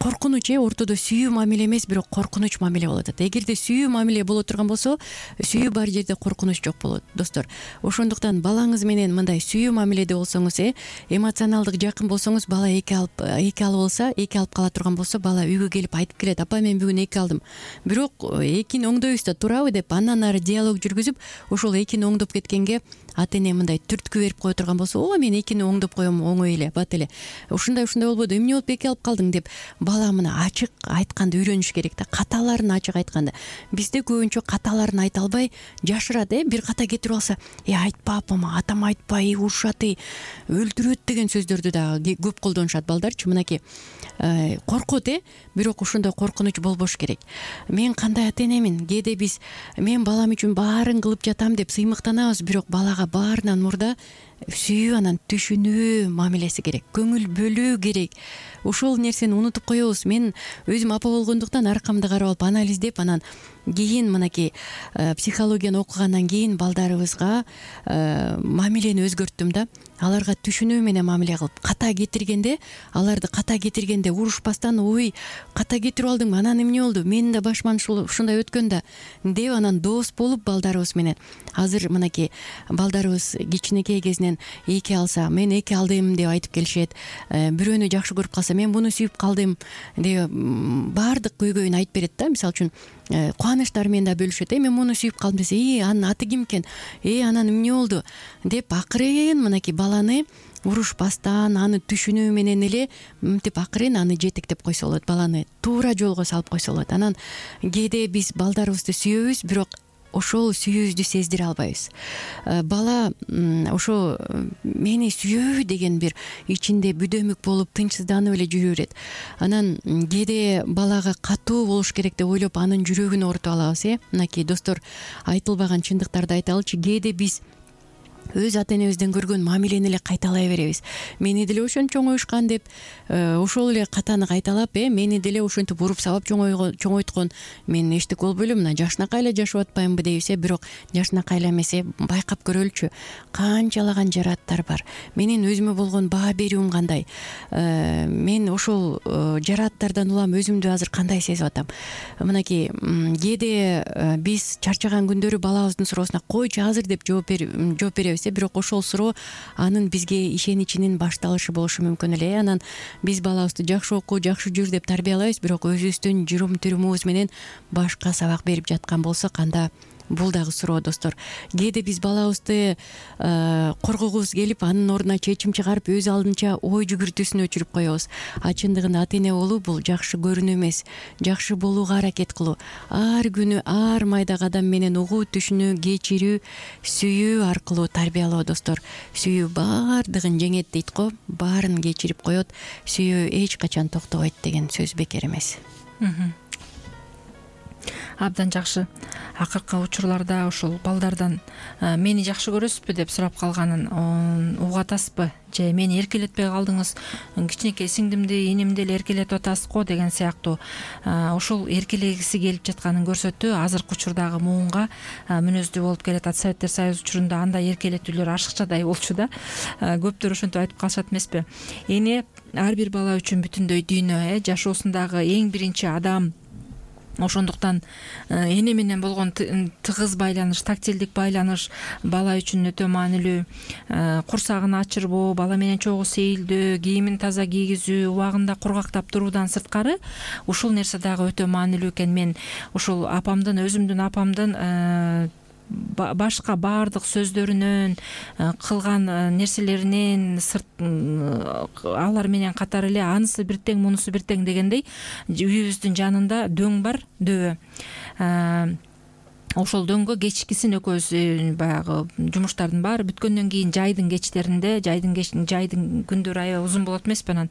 коркунуч ортодо сүйүү мамиле эмес, бирок коркунуч мамиле болуп атат. Эгерде сүйүү мамиле боло турган болсо, сүйүү бар жерде коркунуч жок болот, достор. Ошондуктан балаңыз менен мындай сүйүү мамиледе болсоңуз, эмоционалдык жакын болсоңуз, бала эки алып кала турган болсо, бала үйгө келип айтып келет: апа, мен бүгүн эки алдым. Бирок экини оңдойбуз да, туурабы деп андан ары диалог жүргүзүп, ошол экини оңдоп кеткенге ата эне мындай түрткү берип кое турган болсо, ооба, мен экини оңдоп коем, оңой эле, бат эле. Ушундай болбоду, эмне болуп эки алып калдың деп бала мына ачык айтканды үйрөнүш керек да, каталарын ачык айтканды. Бизде көбүнчө каталарын айта албай жашырат, бир ката кетирип алса: айтпа апама, атам айтпай, урушат, өлтүрөт деген сөздөрдү дагы көп колдонушат балдарчы. Мынакей коркот, бирок ошондой коркунуч болбош керек. Мен кандай ата энемин, кээде мен балам үчүн баарын кылып жатам деп сыймыктанабыз, бирок балага баарынан мурда сүйүү, анан түшүнүү мамилеси керек, көңүл бөлүү керек. Ошол нерсени унутуп коебуз. Мен өзүм апа болгондуктан аркамды карап алып анализдеп, анан кийин мынакей психологияны окугандан кийин балдарыбызга мамилени өзгөрттүм да. Аларга түшүнүү менен мамиле кылып, ката кетиргенде урушпастан: ой, ката кетирип алдыңбы, анан эмне болду, менин да башыман ушундай өткөн да деп, анан дос болуп балдарыбыз менен. Азыр мынакей балдарыбыз кичинекей кезинен эки алса, мен эки алдым деп айтып келишет. Бирөөнү жакшы көрүп калса, мен муну сүйүп калдым деп баардык көйгөйүн айтып берет да. Мисалы үчүн кубанычтары менен да бөлүшөт. Мен муну сүйүп калдым десе: анын аты ким экен, анан эмне болду деп акырын мынакей баланы урушпастан, аны түшүнүү менен эле мынтип акырын аны жетектеп койсо болот, баланы туура жолго салып койсо болот. Анан кээде биз балдарыбызды сүйөбүз, бирок ошол сүйүүбүздү сездире албайбыз. Бала ошо мени сүйөбү деген бир ичинде бүдөмүк болуп, тынчсызданып эле жүрө берет. Анан кээде балага катуу болуш керек деп ойлоп, анын жүрөгүн оорутуп алабыз. Мынакей достор, айтылбаган чындыктарды айталычы. Кээде биз өз ата энебизден көргөн мамилени эле кайталай беребиз. Мени деле ошентип чоңоюшкан деп, ошол эле катаны кайталап, мени деле ошентип уруп сабап чоңойткон, мен эчтеке болбой эле мына жашынакай эле жашап атпаймынбы дейбиз. Бирок жашынакай эле эмес, байкап көрөлүчү, канчалаган жарааттар бар. Менин өзүмө болгон баа берүүм кандай, мен ошол жарааттардан улам өзүмдү азыр кандай сезип атам. Мынакей кээде биз чарчаган күндөрү балабыздын суроосуна койчу азыр деп жооп беребиз. Бирок ошол суроо анын бизге ишеничинин башталышы болушу мүмкүн эле. Анан биз балабызды жакшы оку, жакшы жүр деп тарбиялайбыз, бирок өзүбүздүн жүрүм-турумубуз менен башка сабак берип жаткан болсо канда? Бул дагы суроо, достор. Кээде биз балабызды коргогубуз келип, анын ордуна чечим чыгарып, өз алдынча ой жүгүртүүсүн өчүрүп коебуз. Чындыгында ата эне болуу бул жакшы көрүнүү эмес, жакшы болууга аракет кылуу. Ар күнү ар майда кадам менен угуу, түшүнүү, кечирүү, сүйүү аркылуу тарбиялоо, достор. Сүйүү баардыгын жеңет дейт го, баарын кечирип коет. Сүйүү эч качан токтобойт деген сөз бекер эмес. Абдан жакшы. Акыркы учурларда ошол балдардан мени жакшы көрөсүзбү деп сурап калганын угуп атасызбы? Же мени эркелетпей калдыңыз, кичинекей сиңдимди, инимди эле эркелетип атасыз го деген сыяктуу ошол эркелегиси келип жатканын көрсөтүү азыркы учурдагы муунга мүнөздүү болуп келатат. Советтер Союзу учурунда андай эркелетүүлөр ашыкчадай болчу да. Көптөр ошентип айтып калышат эмеспи? Эне ар бир бала үчүн бүтүндөй дүйнө, жашоосундагы эң биринчи адам. Ошондуктан эне менен болгон тыгыз байланыш, тактилдик байланыш бала үчүн өтө маанилүү. Курсагын ачырбоо, бала менен чогуу сейилдөө, кийимин таза кийгизүү, убагында кургактап туруудан сырткары ушул нерсе дагы өтө маанилүү экен. Мен ушул өзүмдүн апамдын башка баардык сөздөрүнөн, кылган нерселеринен алар менен катар эле анысы бир тең, мунусу бир тең дегендей үйүбүздүн жанында дөң бар, дөбө. Ошол дөңгө кечкисин экөөбүз баягы жумуштардын баары бүткөндөн кийин жайдын кечтеринде, жайдын күндөрү аябай узун болот эмеспи, анан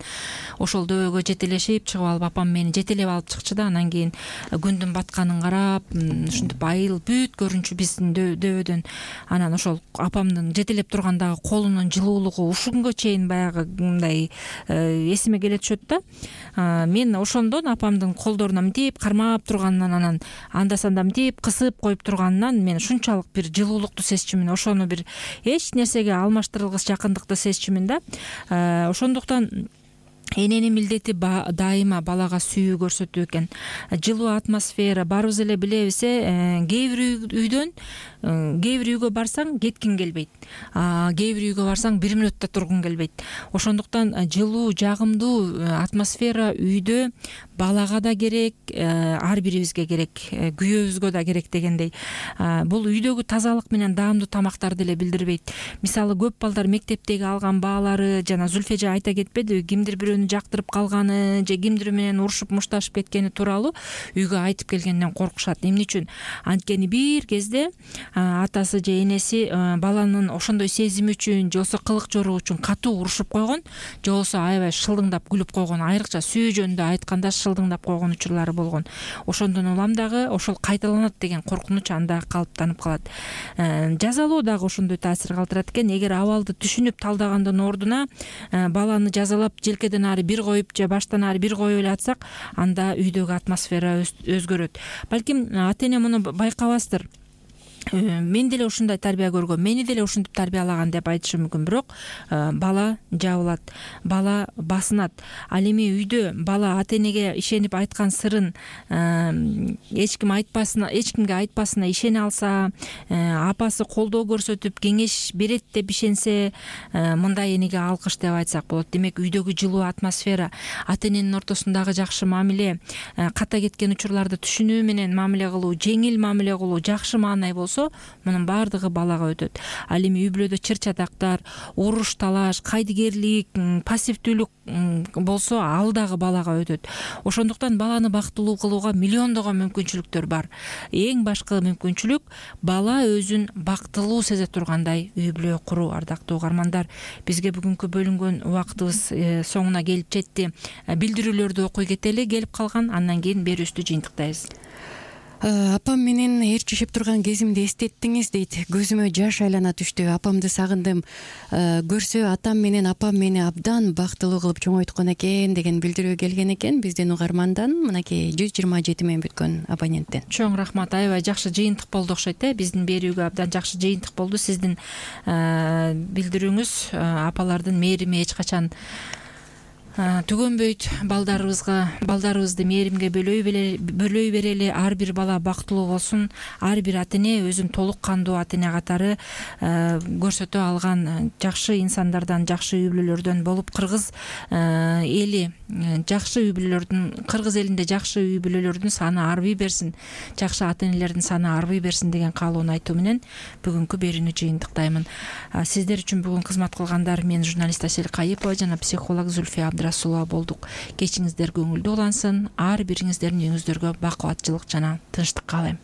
ошол дөбөгө жетелешип чыгып алып, апам мени жетелеп алып чыкчу да, анан кийин күндүн батканын карап, ушинтип айыл бүт көрүнчү биздин дөбөдөн. Анан ошол апамдын жетелеп тургандагы колунун жылуулугу ушул күнгө чейин баягы мындай эсиме келе түшөт да. Мен ошондон апамдын колдоруна мынтип кармап турганынан, анан анда-санда мынтип кысып коюп турганынан мен ушунчалык бир жылуулукту сезчүмүн, ошону бир эч нерсеге алмаштырылгыс жакындыкты сезчүмүн да. Ошондуктан эненин милдети дайыма балага сүйүү көрсөтүү экен. Жылуу атмосфера баарыбыз эле билебиз, кээ бир үйгө барсаң кеткиң келбейт, кээ бир үйгө барсаң 1 мүнөттө тургуң келбейт. Ошондуктан жылуу, жагымдуу атмосфера үйдө балага да керек, ар бирибизге керек, күйөөбүзгө да керек дегендей. Бул үйдөгү тазалык менен даамдуу тамактарды деле билдирбейт. Мисалы көп балдар мектептеги алган баалары, жана Зүлфе эже айта кетпедиби, кимдир бирөөнү жактырып калганы же кимдир менен урушуп мушташып кеткени тууралуу үйгө айтып келгенден коркушат. Эмне үчүн? Анткени бир кезде атасы же энеси баланын ошондой сезими үчүн же болбосо кылык жоругу үчүн катуу урушуп койгон, же болбосо аябай шылдыңдап күлүп койгон, айрыкча сүйүү жөнүндө айтканда шылдыңдап койгон учурлары болгон. Ошондон улам дагы ошол кайталанат деген коркунуч анда калыптанып калат. Жазалоо дагы ошондой таасир калтырат экен. Эгер абалды түшүнүп талдагандын ордуна баланы жазалап желкеден ары бир коюп же баштан ары бир коюп эле атсак, анда үйдөгү атмосфера өзгөрөт. Балким ата эне муну байкабастыр. Мен деле ушундай тарбия көргөм, мени деле ушинтип тарбиялаган деп айтышым мүмкүн. Бирок бала жабылат, бала басынат. Ал эми үйдө бала ата энеге ишенип айткан сырын эч кимге айтпасына ишене алса, апасы колдоо көрсөтүп кеңеш берет деп ишенсе, мындай энеге алкыш деп айтсак болот. Демек үйдөгү жылуу атмосфера, ата эненин ортосундагы жакшы мамиле, ката кеткен учурларды түшүнүү менен мамиле кылуу, жеңил мамиле кылуу, жакшы маанай болсо, мунун баардыгы балага өтөт. Ал эми үй бүлөдө чыр-чатактар, уруш талаш, кайдыгерлик, пассивдүүлүк болсо, ал дагы балага өтөт. Ошондуктан баланы бактылуу кылууга миллиондогон мүмкүнчүлүктөр бар. Эң башкы мүмкүнчүлүк бала өзүн бактылуу сезе тургандай үй бүлө куруу. Ардактуу угармандар, бизге бүгүнкү бөлүнгөн убактыбыз соңуна келип жетти. Билдирүүлөрдү окуй кетели, келип калган, андан кийин берүүбүздү жыйынтыктайбыз. Апам менен ээрчишип турган кезимди эстеттиңиз дейт. Көзүмө жаш айлана түштү. Апамды сагындым. Көрсө атам менен апам мени абдан бактылуу кылып чоңойткон экен деген билдирүү келген экен биздин угармандан. Мынакей 127 мен бүткөн абоненттен. Чоң рахмат. Аябай жакшы жыйынтык болду окшойт. Биздин берүүгө абдан жакшы жыйынтык болду. Сиздин билдирүүңүз апалардын мээрими эч качан түгөнбөйт. Балдарыбызды мээримге бөлөй берели. Ар бир бала бактылуу болсун. Ар бир ата эне өзүн толук кандуу ата эне катары көрсөтө алган жакшы инсандардан, жакшы үй бүлөлөрдөн болуп, кыргыз элинде жакшы үй бүлөлөрдүн саны арбый берсин, жакшы ата энелердин саны арбый берсин деген каалоону айтуу менен бүгүнкү берүүнү жыйынтыктаймын. Сиздер үчүн бүгүн кызмат кылгандар мен журналист Асель Кайыпова жана психолог Зүлфия Абдрасулова болдук. Кечиңиздер көңүлдүү улансын. Ар бириңиздердин үйүңүздөргө бакубатчылык жана тынчтык каалайм.